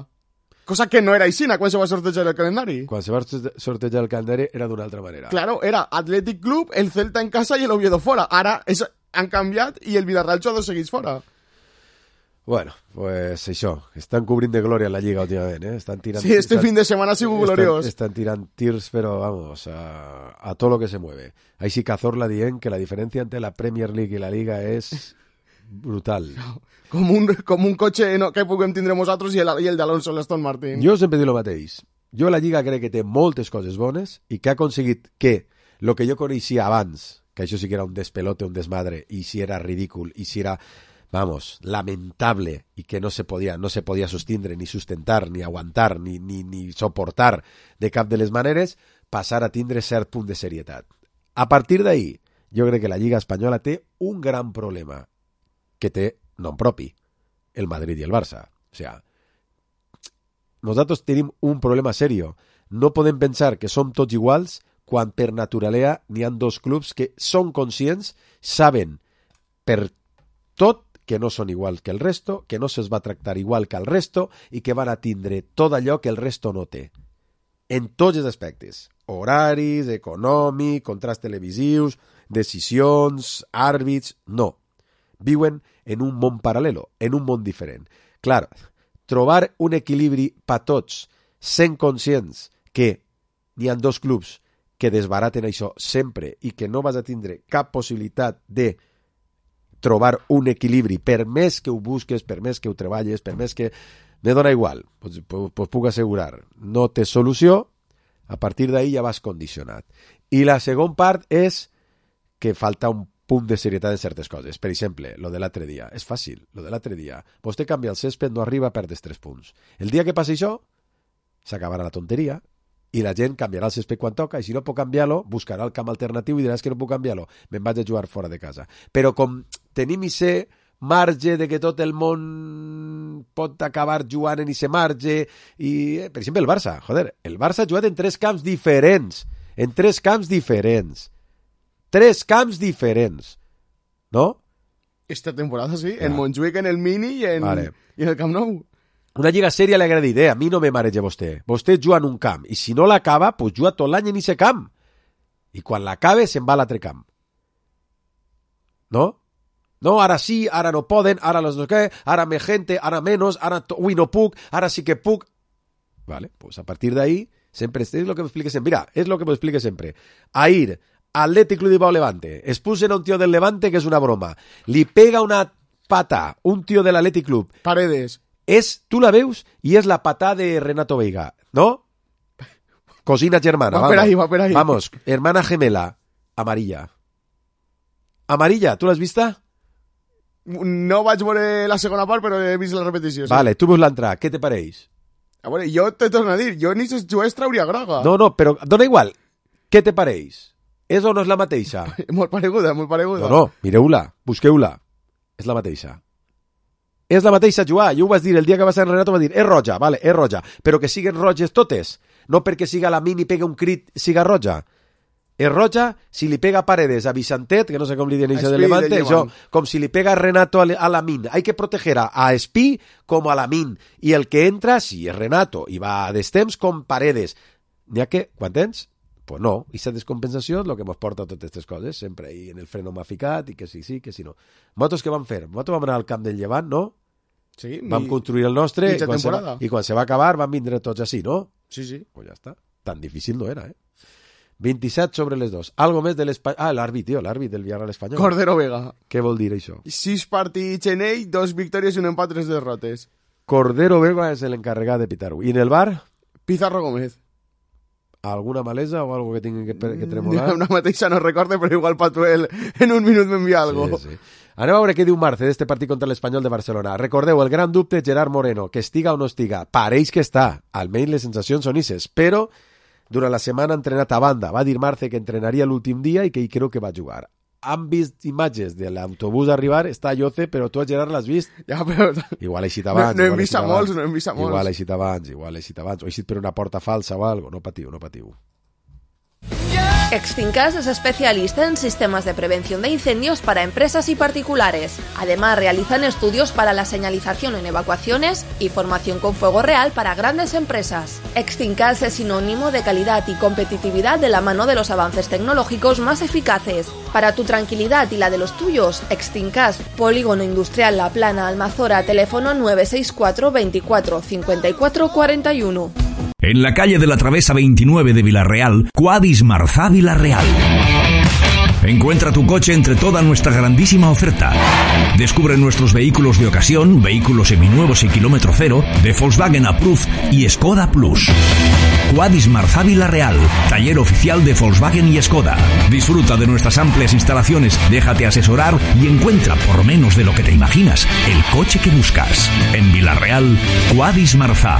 Cosa que no era aixina quan se va sortejar el calendari. Quan se va sortejar el calendari era d'una altra manera. Claro, era Athletic Club, el Celta en casa i el Oviedo fora. Ara és, han canviat i el Villarreal juga dos seguits fora. Bueno, pues això, estan cobrint de glòria la Lliga últimament, eh? Estan tirant, sí, este estan, fin de semana ha sigut gloriós. Estan, estan tirant tirs, però vamos, a, a todo lo que se mueve. Així Cazorla dient que la diferència entre la Premier League i la Liga és brutal. Com un, com un cotxe no, que puguem tindre nosaltres i el, i el d'Alonso l'Aston Martin. Jo sempre dic el mateix. Jo la Lliga crec que té moltes coses bones i que ha aconseguit que el que jo coneixia abans, que això sí que era un despelote, un desmadre, i si era ridícul, i si era... vamos, lamentable y que no se podía, no se podía sostindre, ni sustentar, ni aguantar, ni, ni, ni soportar de cap de les maneres, passar a tindre cert punt de serietat. A partir d'ahí, jo crec que la Lliga Espanyola té un gran problema que té nom propi, el Madrid i el Barça. O sea, nosaltres tenim un problema serio. No podem pensar que som tots iguals quan per naturalea n'hi ha dos clubs que són conscients, saben per tot que no són igual que el resto, que no se'ls va tractar igual que el resto i que van a tindre tot allò que el resto no té. En tots els aspectes. Horaris, econòmic, contrats televisius, decisions, àrbits... No. Viuen en un món paral·lelo, en un món diferent. Clar, trobar un equilibri per tots, sent conscients que n'hi ha dos clubs que desbaraten això sempre i que no vas a tindre cap possibilitat de trobar un equilibri, per més que ho busques, per més que ho treballes, per més que... Me dona igual, pues, pues, pues puc assegurar, no té solució, a partir d'ahí ja vas condicionat. I la segona part és que falta un punt de serietat en certes coses. Per exemple, lo de l'altre dia. És fàcil, lo de l'altre dia. Vostè canvia el césped, no arriba, perdes tres punts. El dia que passi això, s'acabarà la tonteria i la gent canviarà el césped quan toca, i si no pot canviar-lo, buscarà el camp alternatiu i dirà que no puc canviar-lo, me'n vaig a jugar fora de casa. Però com tenim i ser marge de que tot el món pot acabar jugant en ese marge, i, per exemple, el Barça, joder, el Barça ha jugat en tres camps diferents, en tres camps diferents, tres camps diferents, ¿no? Esta temporada sí, ja. En Montjuïc, en el Mini i en, vale. I en el Camp Nou. Una lliga sèria li agrada dir, a mi no me mareja vostè. Vostè juga en un camp, i si no l'acaba, pues juga tot l'any en ese camp. I quan l'acabe, se'n va a l'altre camp. No? No, ara sí, ara no poden, ara los no què, ara me gente, ara menos, ara ui no puc, ara sí que puc. Vale, pues a partir de ahí, sempre, és lo que m'explique sempre. Mira, és lo que m'explique sempre. Ahir, Athletic Club de Bilbao Levante, expulsen a un tío del Levante que es una broma, li pega una pata un tío del Athletic Club. Paredes. És, tu la veus i és la patà de Renato Veiga, ¿no? Cosina germana, va vamos. Per ahí, va per ahí. Vamos, hermana gemela, amarilla. Amarilla, tu l'has vista? No vaig veure la segona part, però he vist la repetició. Sí. Vale, tu veus l'entrada, què te pareix? A veure, jo te torno a dir, jo ni se jugués trauria groga. No, no, però dona igual, què te pareix? És o no és la mateixa? Molt pareguda, molt pareguda. No, no, mireu-la, busqueu-la. És la mateixa. És la mateixa jugar. Jo ho vaig dir el dia que va ser en Renato, va dir, és roja, vale, és roja, però que siguen roges totes. No perquè siga la mini i pega un crit, siga roja. És roja si li pega Paredes a Vicentet, que no sé com li diuen això de Levante, això, com si li pega Renato a Lamin. Hay que proteger a, a Espí com a Lamin. I el que entra, si és Renato, i va a destemps com Paredes. N'hi ha que, quan tens? Pues no, i aquesta descompensació és el que ens porta a totes aquestes coses, sempre ahí en el freno m'ha ficat, i que sí, sí, que sí, no. Nosaltres què vam fer? Nosaltres vam anar al camp del Llevant, no? Sí. Vam mi... construir el nostre, i quan, va, i quan se va acabar van vindre tots així, no? Sí, sí. Pues ja està. Tan difícil no era, eh? vint-i-set sobre les dos. Algo més de l'Espanyol... Ah, l'àrbit, tio, l'àrbit del Villarreal espanyol. Cordero Vega. Què vol dir això? Sis partits en ell, dos victòries i un empat, tres derrotes. Cordero Vega és l'encarregat de pitar-ho. I en el bar? Pizarro Gómez. Alguna malesa o algo que tinguin que, que tremolar? Una mateixa no recorde, però igual Patuel en un minut m'envia algo. Sí, sí. Anem a veure què diu Marce d'este partit contra l'Espanyol de Barcelona. Recordeu, el gran dubte Gerard Moreno, que estiga o no estiga. Pareix que està. Almenys les sensacions són isses, però durant la setmana ha entrenat a banda. Va dir Marce que entrenaria l'últim dia i que hi creu que va jugar. Han vist imatges de l'autobús arribar, està a Lloce, però tu, Gerard, l'has vist? Ja, però... Igual he eixit abans. No, no hem vist a molts, no hem vist a molts. Igual he eixit abans, igual he eixit abans. O he eixit per una porta falsa o algo. No patiu, no patiu. Extincas es especialista en sistemas de prevención de incendios para empresas y particulares. Además, realizan estudios para la señalización en evacuaciones y formación con fuego real para grandes empresas. Extincas es sinónimo de calidad y competitividad de la mano de los avances tecnológicos más eficaces. Para tu tranquilidad y la de los tuyos, Extincas, Polígono Industrial La Plana, Almazora, teléfono nueve seis cuatro veinticuatro cincuenta y cuatro cuarenta y uno. En la calle de la Travesa veintinueve de Villarreal, Quadis Marzá Villarreal. Encuentra tu coche entre toda nuestra grandísima oferta. Descubre nuestros vehículos de ocasión, vehículos seminuevos y kilómetro cero, de Volkswagen Approved y Skoda Plus. Quadis Marzá Villarreal, taller oficial de Volkswagen y Skoda. Disfruta de nuestras amplias instalaciones, déjate asesorar y encuentra, por menos de lo que te imaginas, el coche que buscas. En Villarreal, Quadis Marzá.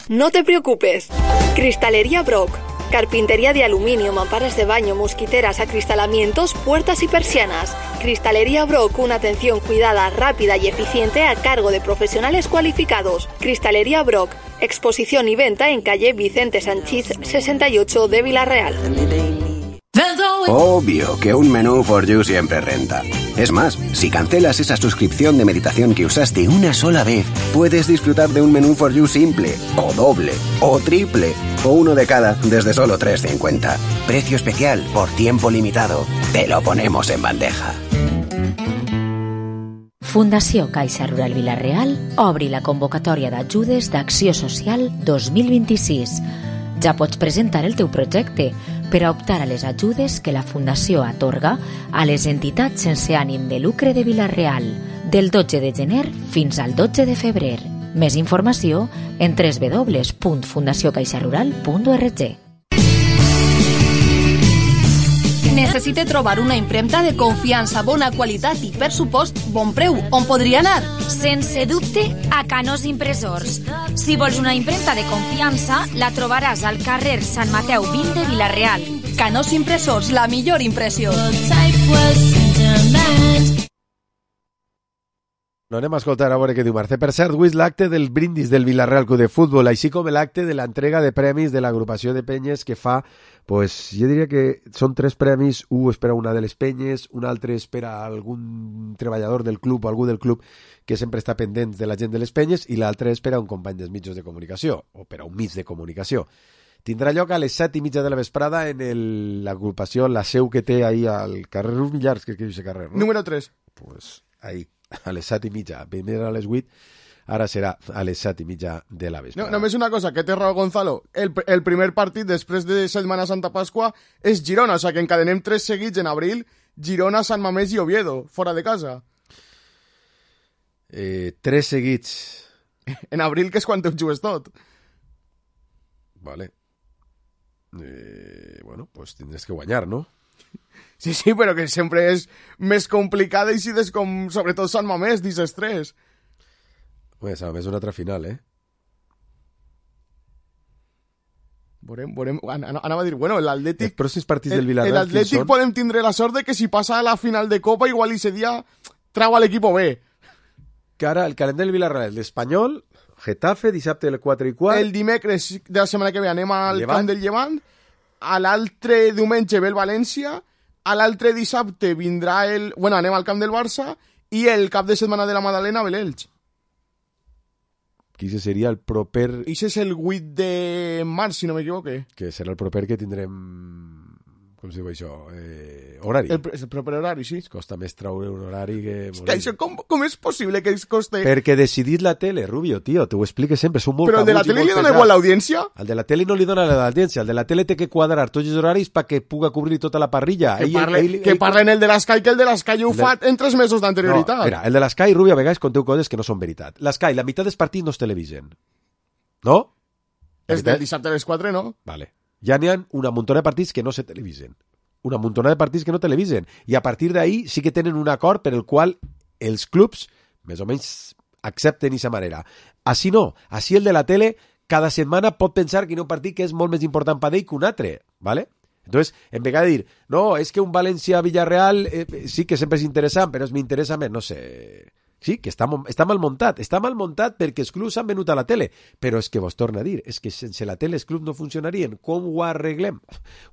No te preocupes. Cristalería Brock. Carpintería de aluminio, mamparas de baño, mosquiteras, acristalamientos, puertas y persianas. Cristalería Brock, una atención cuidada, rápida y eficiente a cargo de profesionales cualificados. Cristalería Brock, exposición y venta en calle Vicente Sanchís sesenta y ocho de Villarreal. Obvio que un menú for you siempre renta. Es más, si cancelas esa suscripción de meditación que usaste una sola vez, puedes disfrutar de un menú for you simple, o doble, o triple, o uno de cada desde solo tres cincuenta. Precio especial por tiempo limitado. Te lo ponemos en bandeja. Fundació Caixa Rural Vila-real obri la convocatòria d'ajudes d'Acció Social dos mil vint-i-sis. Ja pots presentar el teu projecte per a optar a les ajudes que la Fundació atorga a les entitats sense ànim de lucre de Vila-real del dotze de gener fins al dotze de febrer. Més informació en doble u doble u doble u punt fundació caixa rural punt org. necessite trobar una impremta de confiança, bona qualitat i, per supost, bon preu, on podria anar? Sense dubte, a Canós Impressors. Si vols una impremta de confiança, la trobaràs al carrer Sant Mateu vint de Vila-real. Canós Impressors, la millor impressió. No anem a escoltar a veure què diu Mercè. Per cert, avui és l'acte del brindis del Vila-real Club de Futbol, així com l'acte de l'entrega de premis de l'agrupació de penyes que fa, pues, jo diria que són tres premis, un és per a una de les penyes, un altre és per a algun treballador del club o algú del club que sempre està pendent de la gent de les penyes, i l'altre és per a un company dels mitjans de comunicació, o per a un mig de comunicació. Tindrà lloc a les set i mitja de la vesprada en l'agrupació, la seu que té ahí al carrer Rus Millars, que és aquest carrer, no? Número tres. Pues ahí, a les set i mitja. Primer a les vuit, ara serà a les set i mitja de la vesprada. No, només una cosa, que té raó Gonzalo. El, el primer partit després de Setmana Santa Pasqua és Girona, o sigui que encadenem tres seguits en abril, Girona, Sant Mamés i Oviedo, fora de casa. Eh, tres seguits. En abril, que és quan te ho jugues tot. Vale. Eh, bueno, pues tindràs que guanyar, no? Sí, sí, però que sempre és més complicada i si des com, sobretot Sant Mamés, dices tres. Bé, Sant Mamés és una altra final, eh? Veurem, veurem, anava a dir, bueno, l'Atlètic... Els pròxims partits del Villarreal, l'Atlètic podem tindre la sort de que si passa a la final de Copa, igual i ese dia trau a l'equip B. Que ara el calendari del Villarreal, l'Espanyol, Getafe, dissabte el quatre i quart. El dimecres de la setmana que ve anem al Llevant. Camp del Llevant. A l'altre diumenge ve el València. A l'altre dissabte vindrà el... Bueno, anem al camp del Barça. I el cap de setmana de la Madalena ve l'Elx. Qui seria el proper... Ix és el vuit de març, si no m'equivoque. Que serà el proper que tindrem... Com se diu això? Eh, horari. El, el proper horari, sí. Es costa més traure un horari que... És que això, com, com és possible que es coste... Perquè decidit la tele, Rubio, tio, t'ho explique sempre, són molt... Però el de la tele li dona igual l'audiència? El de la tele no li dona l'audiència, el de la tele té que quadrar tots els horaris perquè puga cobrir tota la parrilla. Que, ell, parle, ell, que ell... parlen el de l'Sky, que el de l'Sky ho fa en tres mesos d'anterioritat. No, mira, el de l'Sky, Rubio, a vegades conteu coses que no són veritat. L'Sky, la meitat dels partits no es televisen. No? És del dissabte a les quatre, no? Vale. Ja n'hi ha una muntona de partits que no se televisen. Una muntona de partits que no televisen. I a partir d'ahí sí que tenen un acord per el qual els clubs més o menys accepten aquesta manera. Així no. Així el de la tele cada setmana pot pensar que hi ha un partit que és molt més important per ell que un altre. ¿Vale? Entonces, en vez de dir, no, és que un València-Villarreal eh, sí que sempre és interessant, però m'interessa més, no sé... Sí, que està, està mal muntat. Està mal muntat perquè els clubs han venut a la tele. Però és que vos torna a dir, és que sense la tele els clubs no funcionarien. Com ho arreglem?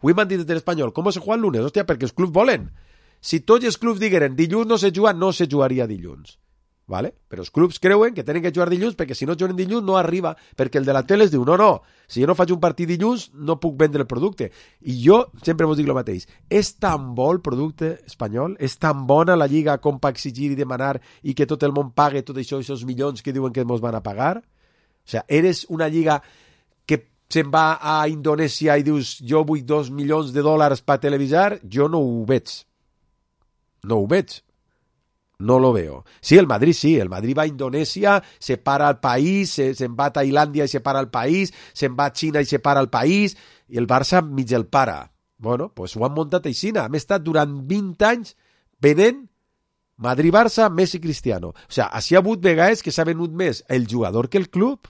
Ho hem dit de l'Espanyol. Com se juega el lunes? Hòstia, perquè els clubs volen. Si tots els clubs digueren dilluns no se juga, no se jugaria dilluns. ¿Vale? Però els clubs creuen que tenen que jugar dilluns perquè si no juguen dilluns no arriba, perquè el de la tele es diu, no, no, si jo no faig un partit dilluns no puc vendre el producte. I jo sempre vos dic el mateix, és tan bo el producte espanyol, és tan bona la lliga com per exigir i demanar i que tot el món pague tot això, aquests milions que diuen que ens van a pagar? O sea, eres una lliga que se'n va a Indonèsia i dius, jo vull dos milions de dòlars per televisar, jo no ho veig. No ho veig. No lo veo. Sí, el Madrid sí, el Madrid va a Indonesia, se para al país, se, se va a Tailandia y se para al país, se va a China y se para al país, i el Barça mig el para. Bueno, pues ho han muntat aixina. Hem estat durant vint anys venent Madrid-Barça, Messi-Cristiano. O sea, així ha hagut vegades que s'ha venut més el jugador que el club,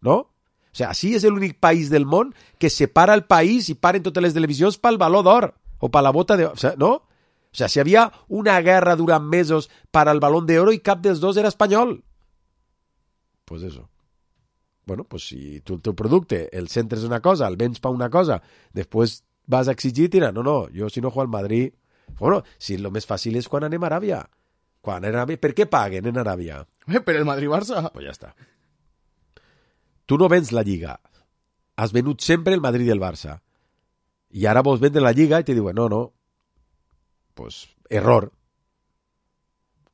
no? O sea, així és l'únic país del món que separa el país i paren totes les televisions pel Baló d'Or o per la bota de... O sea, no? O sea, si havia una guerra durant mesos para el Balón de Oro i cap dels dos era espanyol. Pues eso. Bueno, pues si tu el teu producte el centres una cosa, el vens pa una cosa, després vas a exigir, tira, no, no, jo si no juego al Madrid... Bueno, si lo més fàcil és quan anem a Aràbia. Quan anem a Aràbia, per què paguen en Aràbia? Eh, per el Madrid-Barça. Pues ja està. Tu no vens la Lliga. Has venut sempre el Madrid i el Barça. I ara vols vendre la Lliga i te diuen, no, no, pues, error.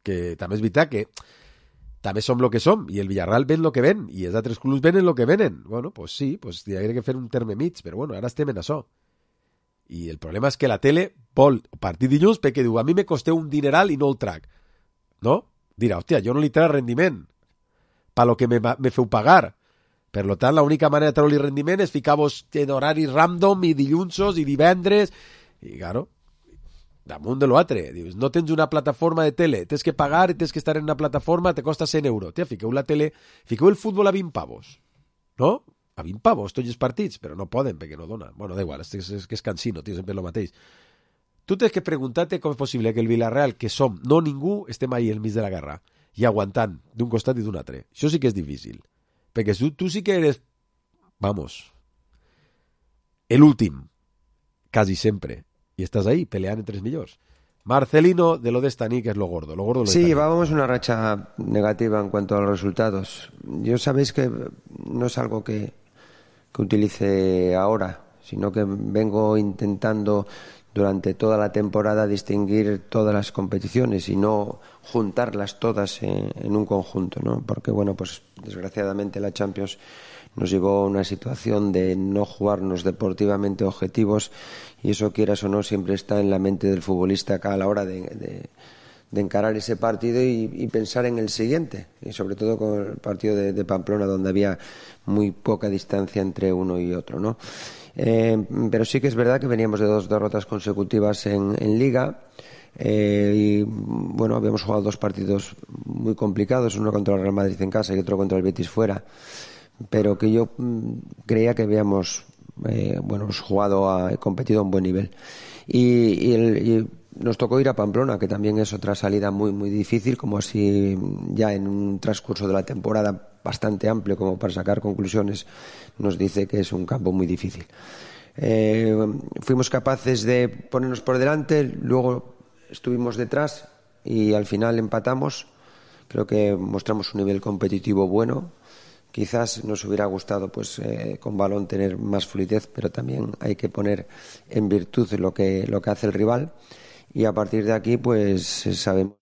Que també és veritat que també som el que som i el Villarreal ven el que ven i els altres clubs venen el que venen. Bueno, pues sí, pues hi hauria que fer un terme mig, però bueno, ara estem en això. I el problema és que la tele vol partir dilluns perquè diu, a mi me costeu un dineral i no el trac. No? Dirà, hòstia, jo no li trac rendiment per lo que me, me feu pagar. Per lo tant, l'única manera de treure-li rendiment és ficar-vos en horaris random i dillunsos i divendres i, claro, damunt de l'altre. Dius, no tens una plataforma de tele, tens que pagar, tens que estar en una plataforma, te costa cent euros. Tia, fiqueu la tele, fiqueu el futbol a vint pavos, no? A vint pavos, tots els partits, però no poden, perquè no dona. Bueno, da igual, és, és, és que és cansino, tio, sempre el mateix. Tu tens que preguntar-te com és possible que el Villarreal, que som, no ningú, estem ahí al mig de la guerra, i aguantant d'un costat i d'un altre. Això sí que és difícil. Perquè tu, tu sí que eres, vamos, el últim, quasi sempre, i estàs ahí peleant entre els millors. Marcelino, de lo de esta que es lo gordo. Lo gordo lo sí, de llevábamos una racha negativa en cuanto a los resultados. Yo sabéis que no es algo que, que utilice ahora, sino que vengo intentando durante toda la temporada distinguir todas las competiciones y no juntarlas todas en, en un conjunto, ¿no? Porque, bueno, pues desgraciadamente la Champions nos llevó a una situación de no jugarnos deportivamente objetivos, y eso, quieras o no, siempre está en la mente del futbolista a la hora de, de, de encarar ese partido y, y pensar en el siguiente, y sobre todo con el partido de, de Pamplona, donde había muy poca distancia entre uno y otro, ¿no? Eh, pero sí que es verdad que veníamos de dos derrotas consecutivas en, en Liga. Eh, y bueno, habíamos jugado dos partidos muy complicados, uno contra el Real Madrid en casa y otro contra el Betis fuera, pero que yo mm, creía que habíamos eh, bueno, jugado, a, competido a un buen nivel. Y, y, el, y nos tocó ir a Pamplona, que también es otra salida muy muy difícil, como así ya en un transcurso de la temporada bastante amplio como para sacar conclusiones, nos dice que es un campo muy difícil. Eh, fuimos capaces de ponernos por delante, luego estuvimos detrás y al final empatamos. Creo que mostramos un nivel competitivo bueno. Quizás nos hubiera gustado, pues, eh, con balón tener más fluidez, pero también hay que poner en virtud lo que lo que hace el rival, y a partir de aquí, pues, sabemos.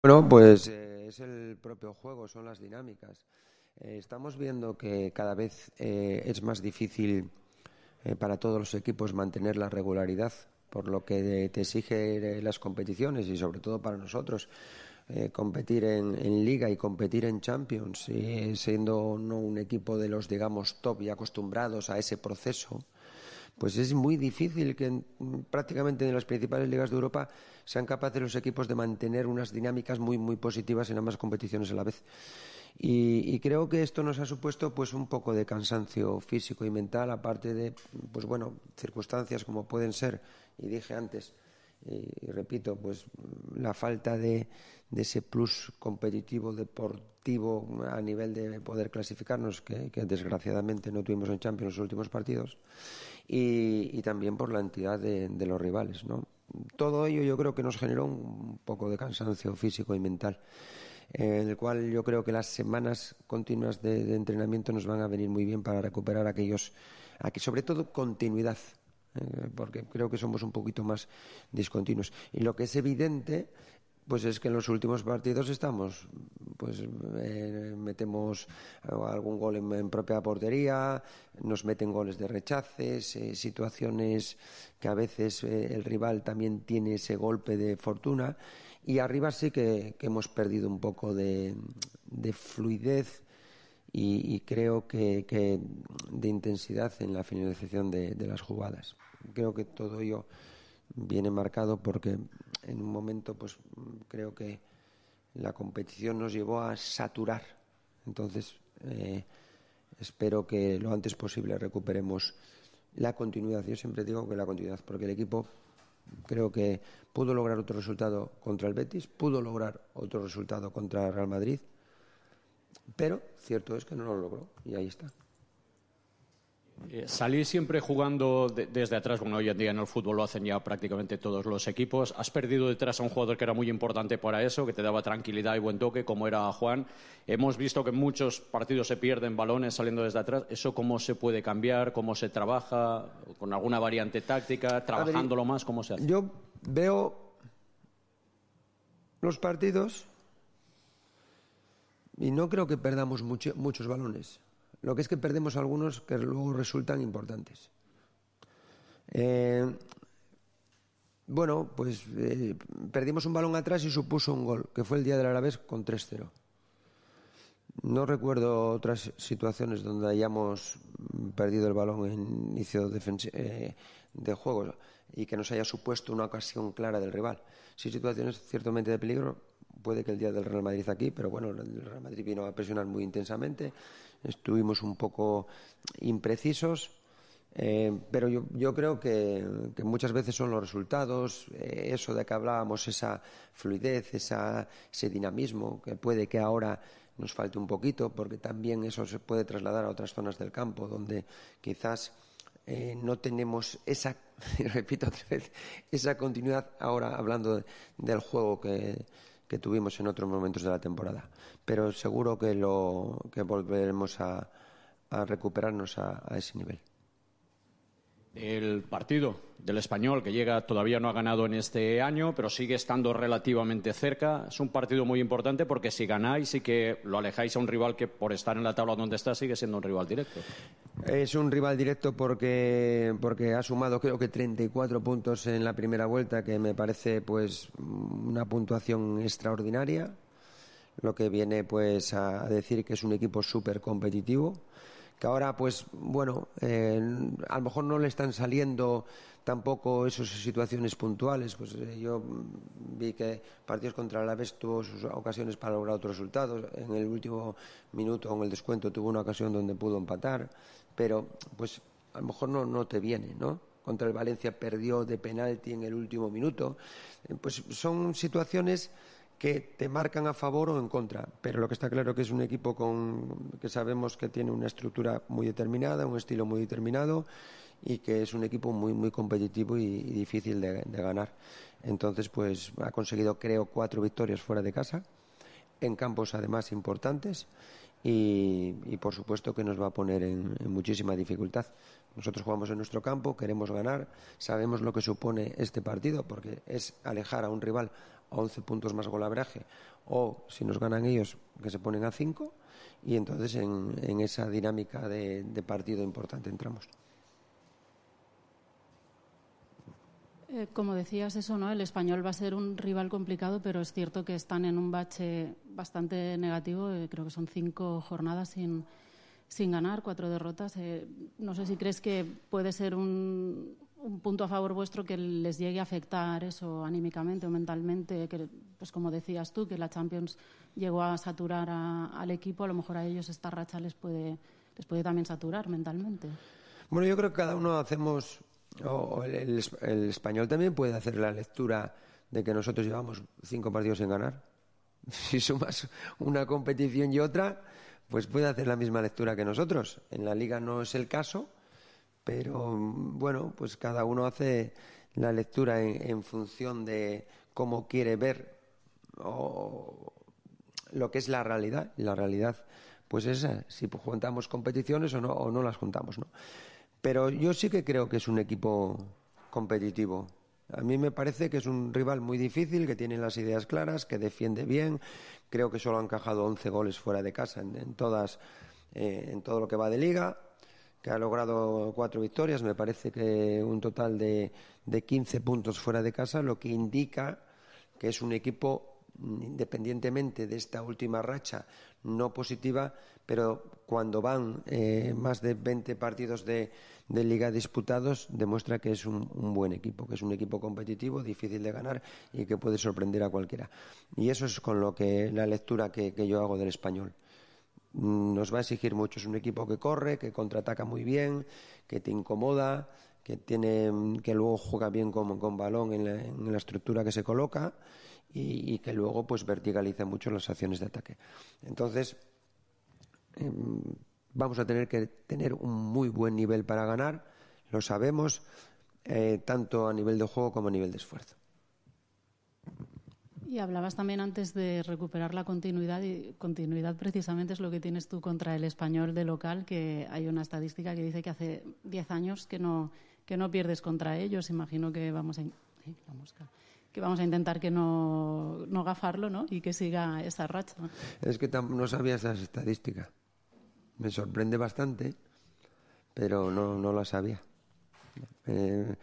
Bueno, pues eh, es el propio juego, son las dinámicas. Eh, estamos viendo que cada vez eh, es más difícil eh, para todos los equipos mantener la regularidad, por lo que te exige las competiciones, y sobre todo para nosotros eh, competir en, en Liga y competir en Champions, y siendo no un equipo de los, digamos, top y acostumbrados a ese proceso, pues es muy difícil que en, prácticamente en las principales ligas de Europa sean capaces los equipos de mantener unas dinámicas muy muy positivas en ambas competiciones a la vez. Y, y creo que esto nos ha supuesto, pues, un poco de cansancio físico y mental, aparte de, pues bueno, circunstancias como pueden ser, y dije antes, y, y repito, pues la falta de, de ese plus competitivo deportivo a nivel de poder clasificarnos, que, que desgraciadamente no tuvimos en Champions los últimos partidos, y, y también por la entidad de, de los rivales, ¿no? Todo ello yo creo que nos generó un poco de cansancio físico y mental, en el cual yo creo que las semanas continuas de, de entrenamiento nos van a venir muy bien para recuperar aquellos, aquí sobre todo continuidad, eh, porque creo que somos un poquito más discontinuos. Y lo que es evidente, pues es que en los últimos partidos estamos, pues eh, metemos algún gol en, en propia portería, nos meten goles de rechaces, eh, situaciones que a veces eh, el rival también tiene ese golpe de fortuna, y arriba sí que, que hemos perdido un poco de, de fluidez y, y creo que, que de intensidad en la finalización de, de las jugadas. Creo que todo ello viene marcado porque en un momento, pues creo que la competición nos llevó a saturar. Entonces, eh, espero que lo antes posible recuperemos la continuidad. Yo siempre digo que la continuidad, porque el equipo creo que pudo lograr otro resultado contra el Betis, pudo lograr otro resultado contra el Real Madrid, pero cierto es que no lo logró y ahí está. Eh, salir siempre jugando de, desde atrás, bueno, hoy en día en el fútbol lo hacen ya prácticamente todos los equipos. Has perdido detrás a un jugador que era muy importante para eso, que te daba tranquilidad y buen toque, como era Juan. Hemos visto que en muchos partidos se pierden balones saliendo desde atrás. ¿Eso cómo se puede cambiar? ¿Cómo se trabaja? ¿Con alguna variante táctica? ¿Trabajándolo más? ¿Cómo se hace? Yo veo los partidos y no creo que perdamos mucho, muchos balones. Lo que es que perdemos algunos que luego resultan importantes. Eh, bueno, pues eh, perdimos un balón atrás y supuso un gol, que fue el día del Alavés con tres cero. No recuerdo otras situaciones donde hayamos perdido el balón en inicio eh, de juego y que nos haya supuesto una ocasión clara del rival. Sí, situaciones ciertamente de peligro, puede que el día del Real Madrid aquí, pero bueno, el Real Madrid vino a presionar muy intensamente, estuvimos un poco imprecisos, eh, pero yo, yo creo que, que muchas veces son los resultados, eh, eso de que hablábamos, esa fluidez, esa, ese dinamismo, que puede que ahora nos falte un poquito, porque también eso se puede trasladar a otras zonas del campo, donde quizás eh, no tenemos esa, repito otra vez, esa continuidad ahora hablando de, del juego que, que tuvimos en otros momentos de la temporada. Pero seguro que, lo, que volveremos a, a recuperarnos a, a ese nivel. El partido del Español, que llega, todavía no ha ganado en este año, pero sigue estando relativamente cerca. Es un partido muy importante porque si ganáis y que lo alejáis a un rival que por estar en la tabla donde está sigue siendo un rival directo. Es un rival directo porque, porque ha sumado creo que treinta y cuatro puntos en la primera vuelta, que me parece pues una puntuación extraordinaria, lo que viene pues a decir que es un equipo súper competitivo, que ahora pues bueno eh, a lo mejor no le están saliendo tampoco esas situaciones puntuales, pues eh, yo vi que partidos contra el Alavés tuvo sus ocasiones para lograr otros resultados, en el último minuto en el descuento tuvo una ocasión donde pudo empatar, pero pues a lo mejor no, no te viene, ¿no? Contra el Valencia perdió de penalti en el último minuto, eh, pues son situaciones que te marcan a favor o en contra, pero lo que está claro que es un equipo con que sabemos que tiene una estructura muy determinada, un estilo muy determinado y que es un equipo muy muy competitivo y, y difícil de, de ganar. Entonces pues ha conseguido creo cuatro victorias fuera de casa, en campos además importantes y, y por supuesto que nos va a poner en, en muchísima dificultad. Nosotros jugamos en nuestro campo, queremos ganar, sabemos lo que supone este partido porque es alejar a un rival a once puntos más golaveraje o si nos ganan ellos que se ponen a cinco y entonces en, en esa dinámica de, de partido importante entramos. Eh, como decías eso, ¿no? El Español va a ser un rival complicado, pero es cierto que están en un bache bastante negativo. Eh, creo que son cinco jornadas sin, sin ganar, cuatro derrotas. Eh, no sé si crees que puede ser un, un punto a favor vuestro que les llegue a afectar eso anímicamente o mentalmente, que, pues como decías tú, que la Champions llegó a saturar a, al equipo. A lo mejor a ellos esta racha les puede, les puede también saturar mentalmente. Bueno, yo creo que cada uno hacemos... O el, el, el Español también puede hacer la lectura de que nosotros llevamos cinco partidos sin ganar. Si sumas una competición y otra, pues puede hacer la misma lectura que nosotros. En la Liga no es el caso, pero bueno, pues cada uno hace la lectura en, en función de cómo quiere ver o lo que es la realidad. Y la realidad, pues es esa, si juntamos competiciones o no, o no las juntamos, ¿no? Pero yo sí que creo que es un equipo competitivo. A mí me parece que es un rival muy difícil, que tiene las ideas claras, que defiende bien. Creo que solo ha encajado once goles fuera de casa en, en todas, eh, en todo lo que va de liga, que ha logrado cuatro victorias. Me parece que un total de, de quince puntos fuera de casa, lo que indica que es un equipo, independientemente de esta última racha no positiva, pero cuando van eh, más de veinte partidos de, de liga disputados, demuestra que es un, un buen equipo, que es un equipo competitivo, difícil de ganar y que puede sorprender a cualquiera. Y eso es con lo que la lectura que, que yo hago del Español. Nos va a exigir mucho, es un equipo que corre, que contraataca muy bien, que te incomoda, que tiene, que luego juega bien con, con balón en la, en la estructura que se coloca y, y que luego pues verticaliza mucho las acciones de ataque. Entonces eh, vamos a tener que tener un muy buen nivel para ganar, lo sabemos, eh, tanto a nivel de juego como a nivel de esfuerzo. Y hablabas también antes de recuperar la continuidad, y continuidad precisamente es lo que tienes tú contra el Español de local, que hay una estadística que dice que hace diez años que no, que no pierdes contra ellos. Imagino que vamos a, eh, la mosca, que vamos a intentar que no, no gafarlo, ¿no? Y que siga esa racha. Es que tam- no sabía esas estadísticas. Me sorprende bastante, pero no, no la sabía. Eh,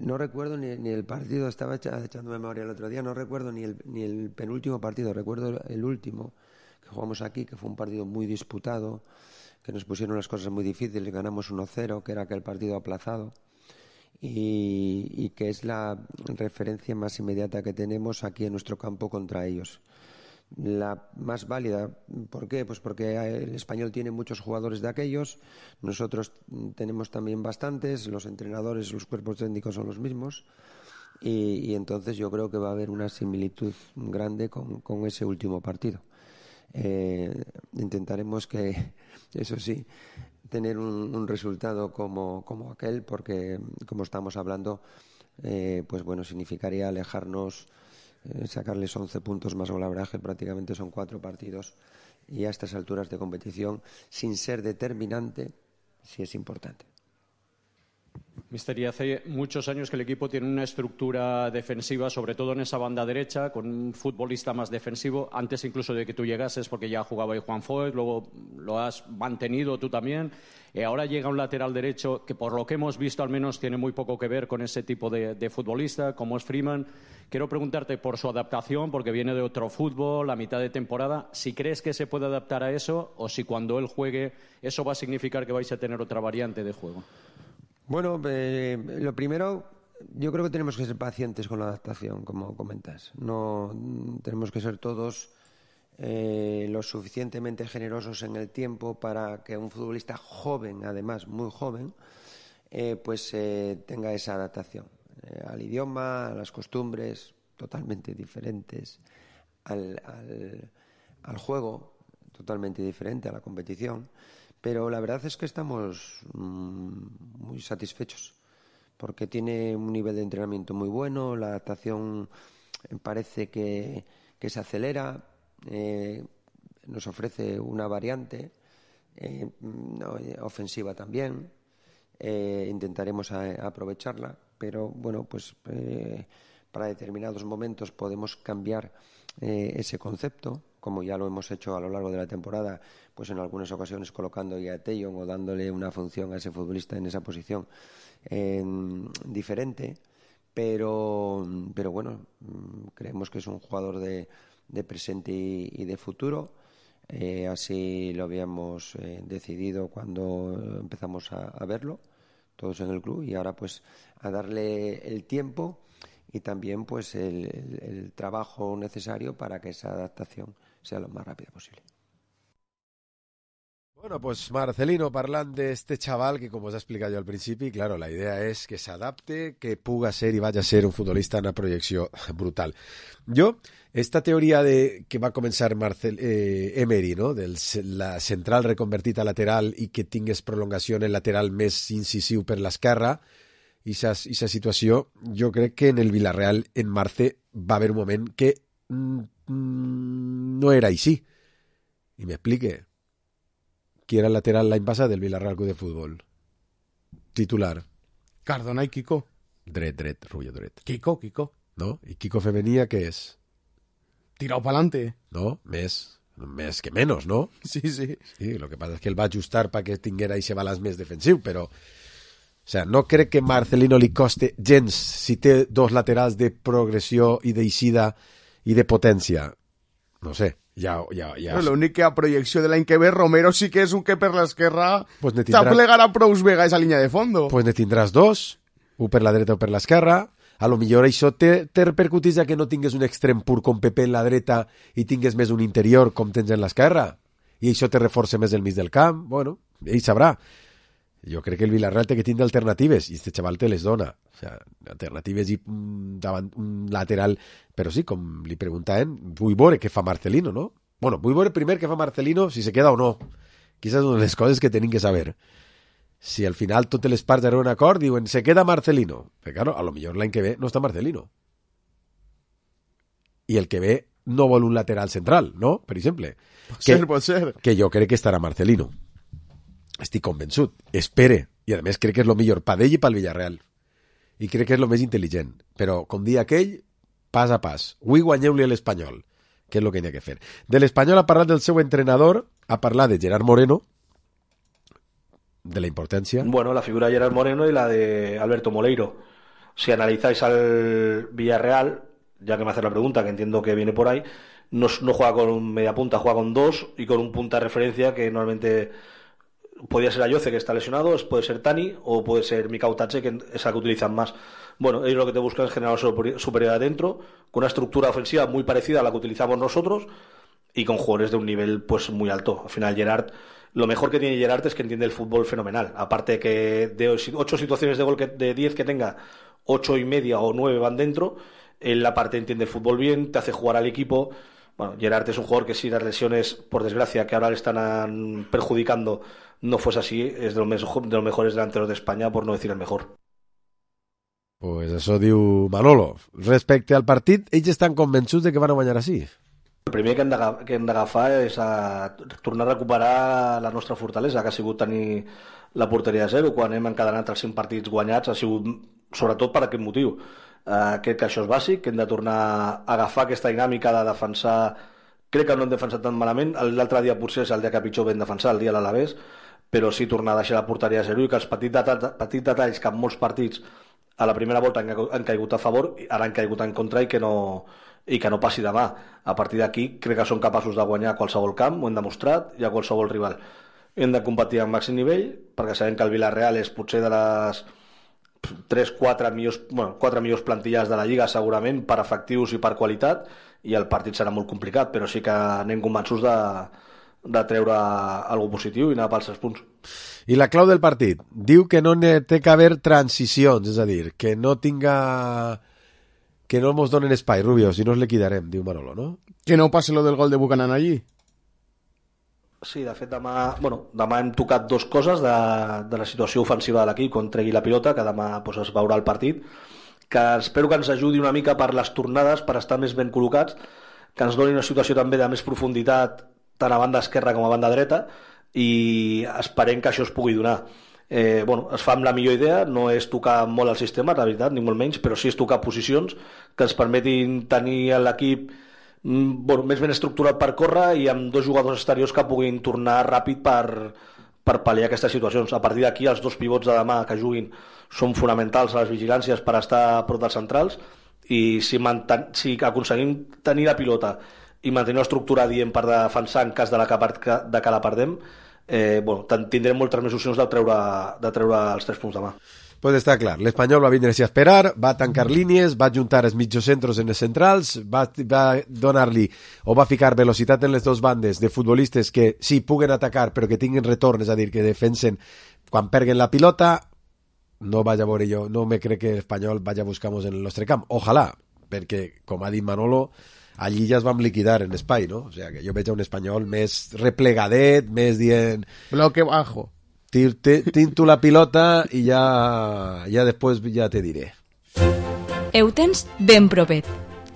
no recuerdo ni, ni el partido, estaba echa, echando memoria el otro día, no recuerdo ni el, ni el penúltimo partido, recuerdo el último que jugamos aquí, que fue un partido muy disputado, que nos pusieron las cosas muy difíciles, ganamos uno cero, que era aquel partido aplazado, y, y que es la referencia más inmediata que tenemos aquí en nuestro campo contra ellos. La más válida, ¿por qué? Pues porque el Español tiene muchos jugadores de aquellos, nosotros tenemos también bastantes, los entrenadores, los cuerpos técnicos son los mismos, y, y entonces yo creo que va a haber una similitud grande con, con ese último partido. Eh, intentaremos que, eso sí, tener un, un resultado como, como aquel, porque como estamos hablando, eh, pues bueno, significaría alejarnos, eh, sacarles once puntos más golaveraje, prácticamente son cuatro partidos, y a estas alturas de competición, sin ser determinante, sí es importante. Mister, y hace muchos años que el equipo tiene una estructura defensiva, sobre todo en esa banda derecha, con un futbolista más defensivo, antes incluso de que tú llegases, porque ya jugaba ahí Juan Foyt, luego lo has mantenido tú también. Eh, ahora llega un lateral derecho que, por lo que hemos visto, al menos tiene muy poco que ver con ese tipo de, de futbolista, como es Freeman. Quiero preguntarte por su adaptación, porque viene de otro fútbol, a mitad de temporada, si crees que se puede adaptar a eso, o si cuando él juegue eso va a significar que vais a tener otra variante de juego. Bueno, eh, lo primero, yo creo que tenemos que ser pacientes con la adaptación, como comentas. No tenemos que ser todos eh, lo suficientemente generosos en el tiempo para que un futbolista joven, además muy joven, eh, pues eh, tenga esa adaptación eh, al idioma, a las costumbres totalmente diferentes, al, al, al juego totalmente diferente, a la competición. Pero la verdad es que estamos mmm, muy satisfechos porque tiene un nivel de entrenamiento muy bueno, la adaptación parece que, que se acelera, eh, nos ofrece una variante eh, ofensiva también, eh, intentaremos a, a aprovecharla, pero bueno, pues eh, para determinados momentos podemos cambiar eh, ese concepto, como ya lo hemos hecho a lo largo de la temporada, pues en algunas ocasiones colocando a Tellon o dándole una función a ese futbolista en esa posición eh, diferente, pero, pero bueno, creemos que es un jugador de, de presente y, y de futuro. Eh, así lo habíamos eh, decidido cuando empezamos a, a verlo, todos en el club, y ahora pues a darle el tiempo y también pues el, el, el trabajo necesario para que esa adaptación sea lo más rápida posible. Bueno, pues Marcelino, parlant d'este chaval que, com us he explicat jo al principi, claro, la idea és que s'adapte, que puga ser i vagi a ser un futbolista en una projecció brutal. Jo, esta teoria de que va començar Marcel, eh, Emery, no? de la central reconvertida a lateral i que tingués prolongació en el lateral més incisiu per l'esquerra, i aquesta situació, jo crec que en el Villarreal, en Marce, va haver un moment que mm, no era així. I m'explique. Qui era el lateral l'any passat del Villarreal Club de Futbol? Titular. Cardona i Kiko. Dret, dret, Rubio dret. Kiko, Kiko. ¿No? ¿Y Kiko Femenía qué es? Tirado para adelante. No, més, més que menos, ¿no? Sí, sí. Sí, lo que pasa es que él va a ajustar para que tinguera ese balanç més defensiu, però... O sea, no crec que Marcelino li coste gens si té dos laterals de progressió i d'eixida i de potència. No sé, ja... ja, ja... No, l'únic que a projecció de l'any que ve, Romero sí que és un que per l'esquerra pues tindrà... s'aplegarà prous vega esa línia de fondo. Pues ne tindràs dos, un per la dreta o per l'esquerra. A lo millor això te, te repercutís ja que no tingues un extrem pur com Pepe en la dreta i tingues més un interior com tens en l'esquerra. I això te reforça més el mig del camp. Bueno, ell sabrà. Jo crec que el Villarreal té que tindre alternatives i este xaval te les dona. O sea, alternatives i davant un lateral, però sí, com li preguntaven, vull veure què fa Marcelino, no? Bueno, vull veure primer què fa Marcelino, si se queda o no. Quizás una de les coses que tenim que saber. Si al final totes les parts arriben a un acord, diuen, se queda Marcelino. Però claro, a lo millor l'any que ve no està Marcelino. I el que ve no vol un lateral central, no? Per exemple. Pot que, ser, pot ser. Que jo crec que estarà Marcelino. Estic convençut. Espere. I a més crec que és el millor per ell i pel Villarreal. I crec que és el més intel·ligent. Però, com dia aquell, pas a pas. Avui guanyeu-li a l'Espanyol, que és el que hi ha que fer. De l'Espanyol ha parlat del seu entrenador, ha parlat de Gerard Moreno, de la importància. Bueno, la figura de Gerard Moreno y la de Alberto Moleiro. Si analizáis al Villarreal, ya que me haces la pregunta, que entiendo que viene por ahí, no, no juega con un media punta, juega con dos y con un punta de referencia que normalmente podría ser Ayoce, que está lesionado, puede ser Tani o puede ser Mikau Tache, que es la que utilizan más. Bueno, ellos lo que te buscan es generar superioridad adentro, con una estructura ofensiva muy parecida a la que utilizamos nosotros y con jugadores de un nivel pues muy alto. Al final Gerard, lo mejor que tiene Gerard es que entiende el fútbol fenomenal. Aparte que de ocho situaciones de gol que, de diez que tenga, ocho y media o nueve van dentro, él aparte entiende el fútbol bien, te hace jugar al equipo. Bueno, Gerard es un jugador que si las lesiones, por desgracia, que ahora le están perjudicando, no fuese así, es de los, mejor, de los mejores delanteros de España, por no decir el mejor. Pues això diu Manolo. Respecte al partit, ells estan convençuts de que van a guanyar així. El primer que hem d'agafar és a tornar a recuperar la nostra fortalesa, que ha sigut tenir la porteria a zero. Quan hem encadenat els cinc partits guanyats ha sigut sobretot per aquest motiu. Uh, crec que això és bàsic, que hem de tornar a agafar aquesta dinàmica de defensar. Crec que no hem defensat tan malament. L'altre dia potser és el dia que pitjor vam defensar, el dia de l'Alavés, però sí tornar a deixar la porteria a zero i que els petits, det petits detalls que en molts partits a la primera volta han, han caigut a favor, ara han caigut en contra i que no, i que no passi demà. A partir d'aquí crec que són capaços de guanyar a qualsevol camp, ho hem demostrat, i a qualsevol rival. Hem de competir al màxim nivell, perquè sabem que el Villarreal és potser de les tres quatre millors, bueno, quatre millors plantilles de la Lliga segurament, per efectius i per qualitat, i el partit serà molt complicat, però sí que anem convençuts de, de treure alguna positiu i anar pels tres punts. I la clau del partit diu que no té que haver transicions, és a dir, que no tinga... que no ens donen espai, Rubio, si no ens liquidarem, diu Manolo, no? Que no passi lo del gol de Buchanan allí. Sí, de fet demà, bueno, demà hem tocat dues coses de, de la situació ofensiva de l'equip quan tregui la pilota, que demà doncs, es veurà el partit, que espero que ens ajudi una mica per les tornades, per estar més ben col·locats, que ens doni una situació també de més profunditat tant a banda esquerra com a banda dreta, i esperem que això es pugui donar. Eh, bueno, es fa amb la millor idea, no és tocar molt el sistema, la veritat, ni molt menys, però sí és tocar posicions que ens permetin tenir l'equip bueno, més ben estructurat per córrer i amb dos jugadors exteriors que puguin tornar ràpid per, per pal·liar aquestes situacions. A partir d'aquí, els dos pivots de demà que juguin són fonamentals a les vigilàncies per estar a prop dels centrals, i si, manten, si aconseguim tenir la pilota i mantenir una estructura dient per defensar en cas de, la que, de que la perdem, eh, bueno, tindrem moltes més opcions de treure, de treure els tres punts demà. Pues està clar, l'Espanyol va vindre-s'hi a esperar, va tancar línies, va juntar els mitjocentros en els centrals, va, va donar-li o va ficar velocitat en les dues bandes de futbolistes que sí, puguen atacar però que tinguin retorn, és a dir, que defensen quan perguen la pilota. No vaig a veure jo, no me crec que l'Espanyol vagi a buscar-nos en el nostre camp. Ojalà, perquè, com ha dit Manolo, allí ja es vam liquidar en espai, no? O sea, que jo veig un Espanyol més replegadet, més dient... Bloque bajo. Tinto la pilota i ja, ja després ja te diré. Ho tens ben propet.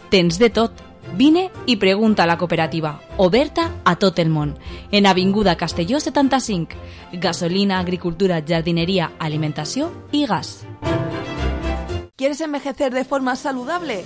Tens de tot. Vine i pregunta a la cooperativa, oberta a tot el món. En Avinguda Castelló setanta-cinc. Gasolina, agricultura, jardineria, alimentació i gas. ¿Quieres envejecer de forma saludable?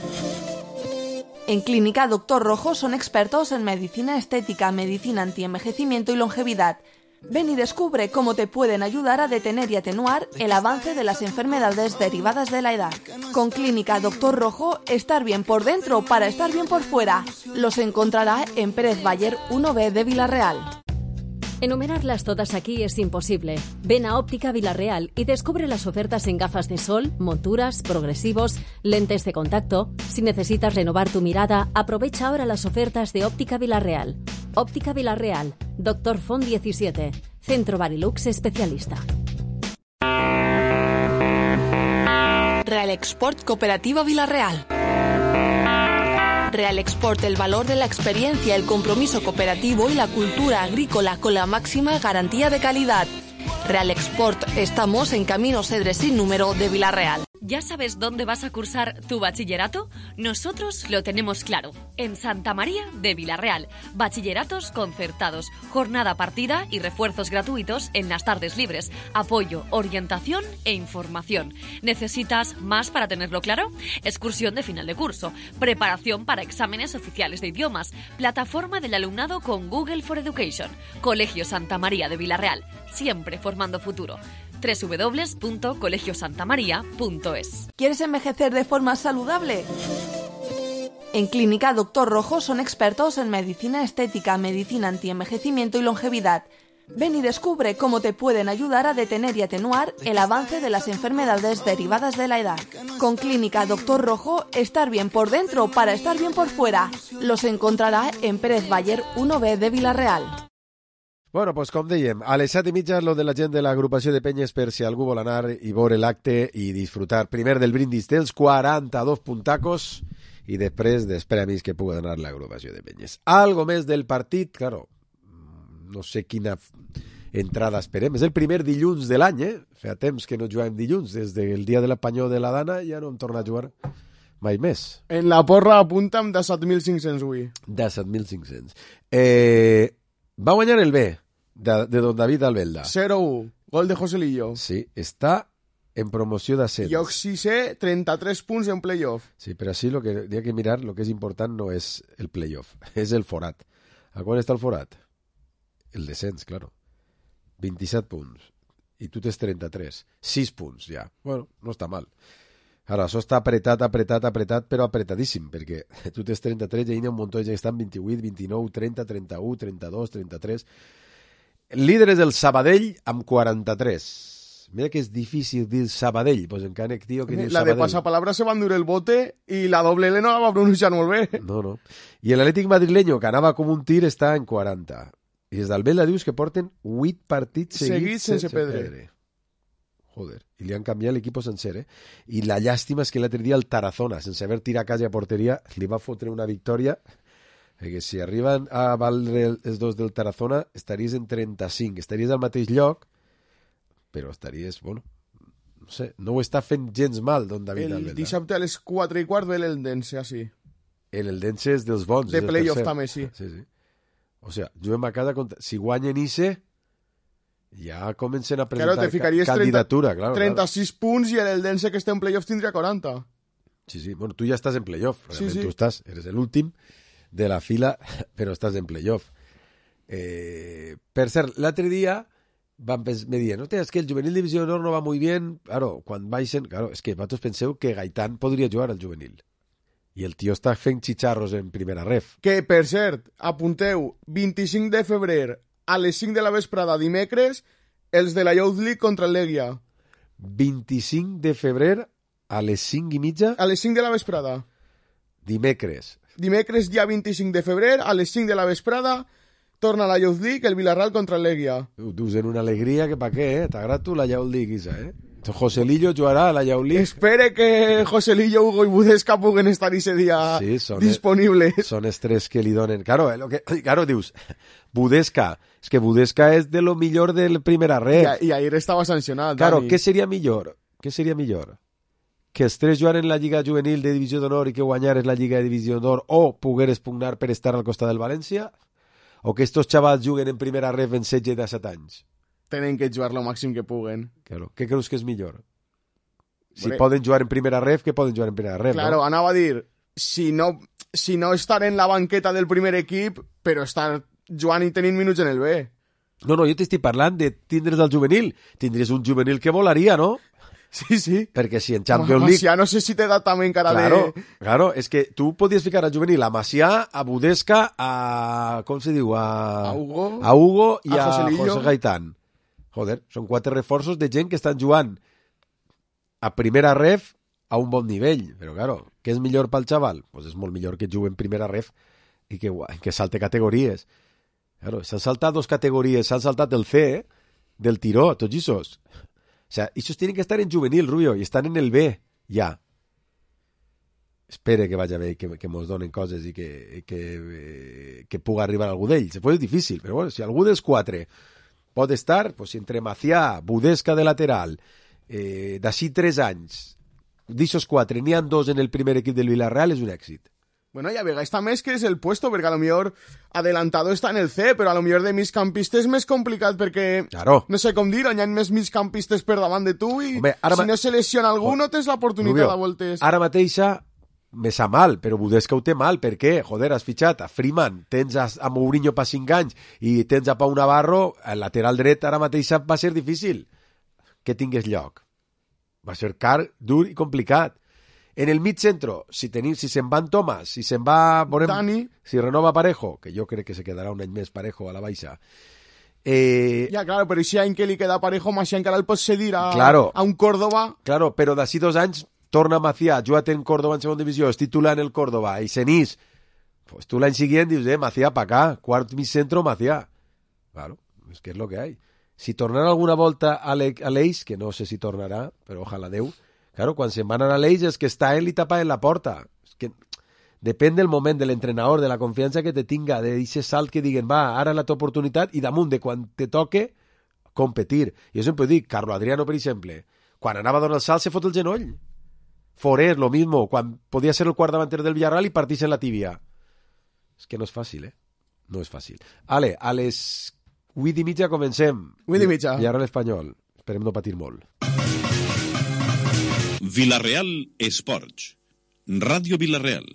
En Clínica Doctor Rojo son expertos en medicina estética, medicina antienvejecimiento y longevidad. Ven y descubre cómo te pueden ayudar a detener y atenuar el avance de las enfermedades derivadas de la edad. Con Clínica Doctor Rojo, estar bien por dentro para estar bien por fuera. Los encontrará en Pérez Bayer uno B de Villarreal. Enumerarlas todas aquí es imposible. Ven a Óptica Villarreal y descubre las ofertas en gafas de sol, monturas, progresivos, lentes de contacto. Si necesitas renovar tu mirada, aprovecha ahora las ofertas de Óptica Villarreal. Óptica Villarreal, Doctor Font diecisiete, Centro Barilux Especialista. Real Export Cooperativa Villarreal. Real Export, el valor de la experiencia, el compromiso cooperativo y la cultura agrícola con la máxima garantía de calidad. Real Export, estamos en Camino Cedres sin número de Vila-real. ¿Ya sabes dónde vas a cursar tu bachillerato? Nosotros lo tenemos claro, en Santa María de Vila-real. Bachilleratos concertados, jornada partida y refuerzos gratuitos en las tardes libres, apoyo, orientación e información. ¿Necesitas más para tenerlo claro? Excursión de final de curso, preparación para exámenes oficiales de idiomas, plataforma del alumnado con Google for Education, Colegio Santa María de Vila-real, siempre formando futuro. doble u doble u doble u punto colegio santa maría punto es. ¿Quieres envejecer de forma saludable? En Clínica Doctor Rojo son expertos en medicina estética, medicina antienvejecimiento y longevidad. Ven y descubre cómo te pueden ayudar a detener y atenuar el avance de las enfermedades derivadas de la edad. Con Clínica Doctor Rojo, estar bien por dentro para estar bien por fuera. Los encontrará en Pérez Bayer uno B de Vila-real. Bueno, doncs com dèiem, a les set i mitja lo de la gent de l'agrupació de penyes per si algú vol anar i veure l'acte i disfrutar primer del brindis dels quaranta-dos puntacos i després dels premis que pugui donar l'agrupació de penyes. Algo més del partit, claro, no sé quina entrada esperem. És el primer dilluns de l'any, eh? Fa temps que no juguem dilluns, des del dia de l'apanyó de la Dana ja no hem tornat a jugar mai més. En la porra apunta'm de set mil cinc-cents avui. De set mil cinc-cents. Eh, va guanyar el B. De, de don David Albelda. cero u, gol de Joselillo. Sí, està en promoció d'ascens. Lloc sisè, trenta-tres punts en playoff. Sí, però sí, lo que hi ha que mirar, lo que és important no és el playoff, és el forat. A quan està el forat? El descens, claro. vint-i-set punts. I tu tens trenta-tres. sis punts, ja. Bueno, no està mal. Ara, això està apretat, apretat, apretat, però apretadíssim, perquè tu tens trenta-tres i hi ha un munt de gent que estan vint-i-vuit, vint-i-nou, trenta, trenta-u, trenta-dos, trenta-tres... Líder és el Sabadell amb quaranta-tres. Mira que és difícil dir Sabadell, pues encara que tio que diu la Sabadell. De pasapalabra se va endur el bote i la doble L no la va pronunciar molt bé. No, no. I l'Atlètic madrileño, que anava com un tir, està en quaranta. I des d'Albelda dius que porten vuit partits seguits, seguits sense, sense pedre. pedre. Joder, i li han canviat l'equip sencer, eh? I la llàstima és que l'altre dia el Tarazona, sense haver tirat a casa a porteria, li va fotre una victòria... Perquè si arriben a valdre els dos del Tarazona, estaries en trenta-cinc, estaries al mateix lloc, però estaries, bueno, no sé, no ho està fent gens mal, don David el Albelda. El dissabte a les quatre i quart ve l'Eldense, així. L'Eldense és dels bons. De playoff també, sí. sí, sí. O sigui, juguem a cada... Contra... Si guanyen Ise, ja comencen a presentar claro, te ficaries candidatura. trenta, claro, trenta-sis claro. punts i l'Eldense que està en playoff tindria quaranta. Sí, sí, bueno, tu ja estàs en playoff, realment sí, sí. tu estàs, eres l'últim de la fila, però estàs en playoff. Eh, per cert, l'altre dia van pens- me diuen, hòstia, és que el juvenil divisió d'honor no va muy bien. Claro, quan baixen, claro, és que vosaltres penseu que Gaitán podria jugar al juvenil. I el tio està fent xicharros en primera ref. Que, per cert, apunteu, vint-i-cinc de febrer a les cinc de la vesprada dimecres, els de la Youth League contra el Legia. vint-i-cinc de febrer a les cinc i mitja? A les cinc de la vesprada. Dimecres. Dimecres, dia vint-i-cinc de febrer, a les cinc de la vesprada, torna la Youth League, el Villarreal contra el Legia. Ho dius en una alegria que pa què, eh? T'agrada tu la Youth League, Isa, eh? Joselillo jugarà a la Youth League. Espere que Joselillo, Hugo i Budesca puguen estar ese dia sí, son disponibles. El, son els tres que li donen. Claro, eh, lo que, claro, dius, Budesca, és que Budesca és de lo millor del primera red. I, i ahir estava sancionat, Claro, Dani. què seria millor? Què seria millor? Que els tres jugaren la Lliga Juvenil de Divisió d'Honor i que guanyares la Lliga de Divisió d'Honor o pogueres pugnar per estar al costat del València? O que estos xavals juguen en primera ref en setze de set anys? Tenen que jugar lo màxim que puguen. Claro. Què creus que és millor? Si Vale. poden jugar en primera ref, que poden jugar en primera ref, Claro, no? anava a dir, si no, si no estar en la banqueta del primer equip, però estar jugant i tenint minuts en el B. No, no, jo t'estic parlant de tindre's al juvenil. Tindries un juvenil que volaria, no? Sí, sí. Perquè si en Champions League... Macià, no sé si t'he dat també encara claro, de... Claro, és que tu podies ficar al juvenil a Macià, a Budesca, a... com se diu? A, a Hugo, a Hugo i a, a José Gaitán. Joder, són quatre reforços de gent que estan jugant a primera ref a un bon nivell. Però, claro, què és millor pel xaval? Pues és molt millor que jugui en primera ref i que, que salte categories. Claro, s'han saltat dos categories, s'han saltat el C, eh? Del tiró, tots aquests. O sea, ellos tienen que estar en juvenil, Rubio, y están en el B, ya. espere que vagi bé i que, que mos donen coses i que, que, eh, que pugui arribar algú d'ells. Després és difícil, però bueno, si algú dels quatre pot estar, pues, entre Macià, Budesca de lateral, eh, d'ací tres anys, d'aixos quatre, n'hi ha dos en el primer equip del Villarreal, és un èxit. Bueno, y a Vegas también es que es el puesto, porque a lo mejor adelantado está en el C, pero a lo mejor de migcampista és més complicat, perquè, claro. no sé com dir, hi ha més migcampistes per davant de tu, i Home, si no se lesiona algú, no tens l'oportunitat a voltes. Ara mateixa me sa mal, però Budesca ho té mal, per què? Joder, has fitxat a Freeman, tens a, a Mourinho pa cinc anys i tens a Pau Navarro, el lateral dret ara mateixa va ser difícil que tingués lloc. Va ser car, dur i complicat. En el mig centro, si tenim, si se'n van Tomàs, si se'n va veurem, Dani, si renova Parejo, que jo crec que se quedarà un any més Parejo a la baixa. Eh, ja, claro, però si any que li queda Parejo, més si encara el pots cedir a, claro, a un Córdoba. Claro, però d'ací dos anys torna Macià, jugat en Córdoba en segona divisió, és titular en el Córdoba, i Senís, pues tu l'any siguient dius, eh, Macià pa acá, quart mig centro, Macià. Claro, és que és lo que hay. Si tornarà alguna volta a l'Eix, que no sé si tornarà, però ojalà Déu, claro, quan se'n van anar a l'Eix és que està ell i tapa en la porta. És que depèn del moment de l'entrenador, de la confiança que te tinga, de d'aquest salt que diguen, va, ara és la teva oportunitat, i damunt de quan te toque, competir. Jo sempre dic, Carlo Adriano, per exemple, quan anava a donar el salt se fot el genoll. Forés, lo mismo, quan podia ser el quart davanter del Villarreal i partís en la tíbia. És que no és fàcil, eh? No és fàcil. Ale, a les vuit i mitja comencem. Vuit i mitja. Villarreal Espanyol. Esperem no patir molt. Villarreal Esports. Ràdio Villarreal.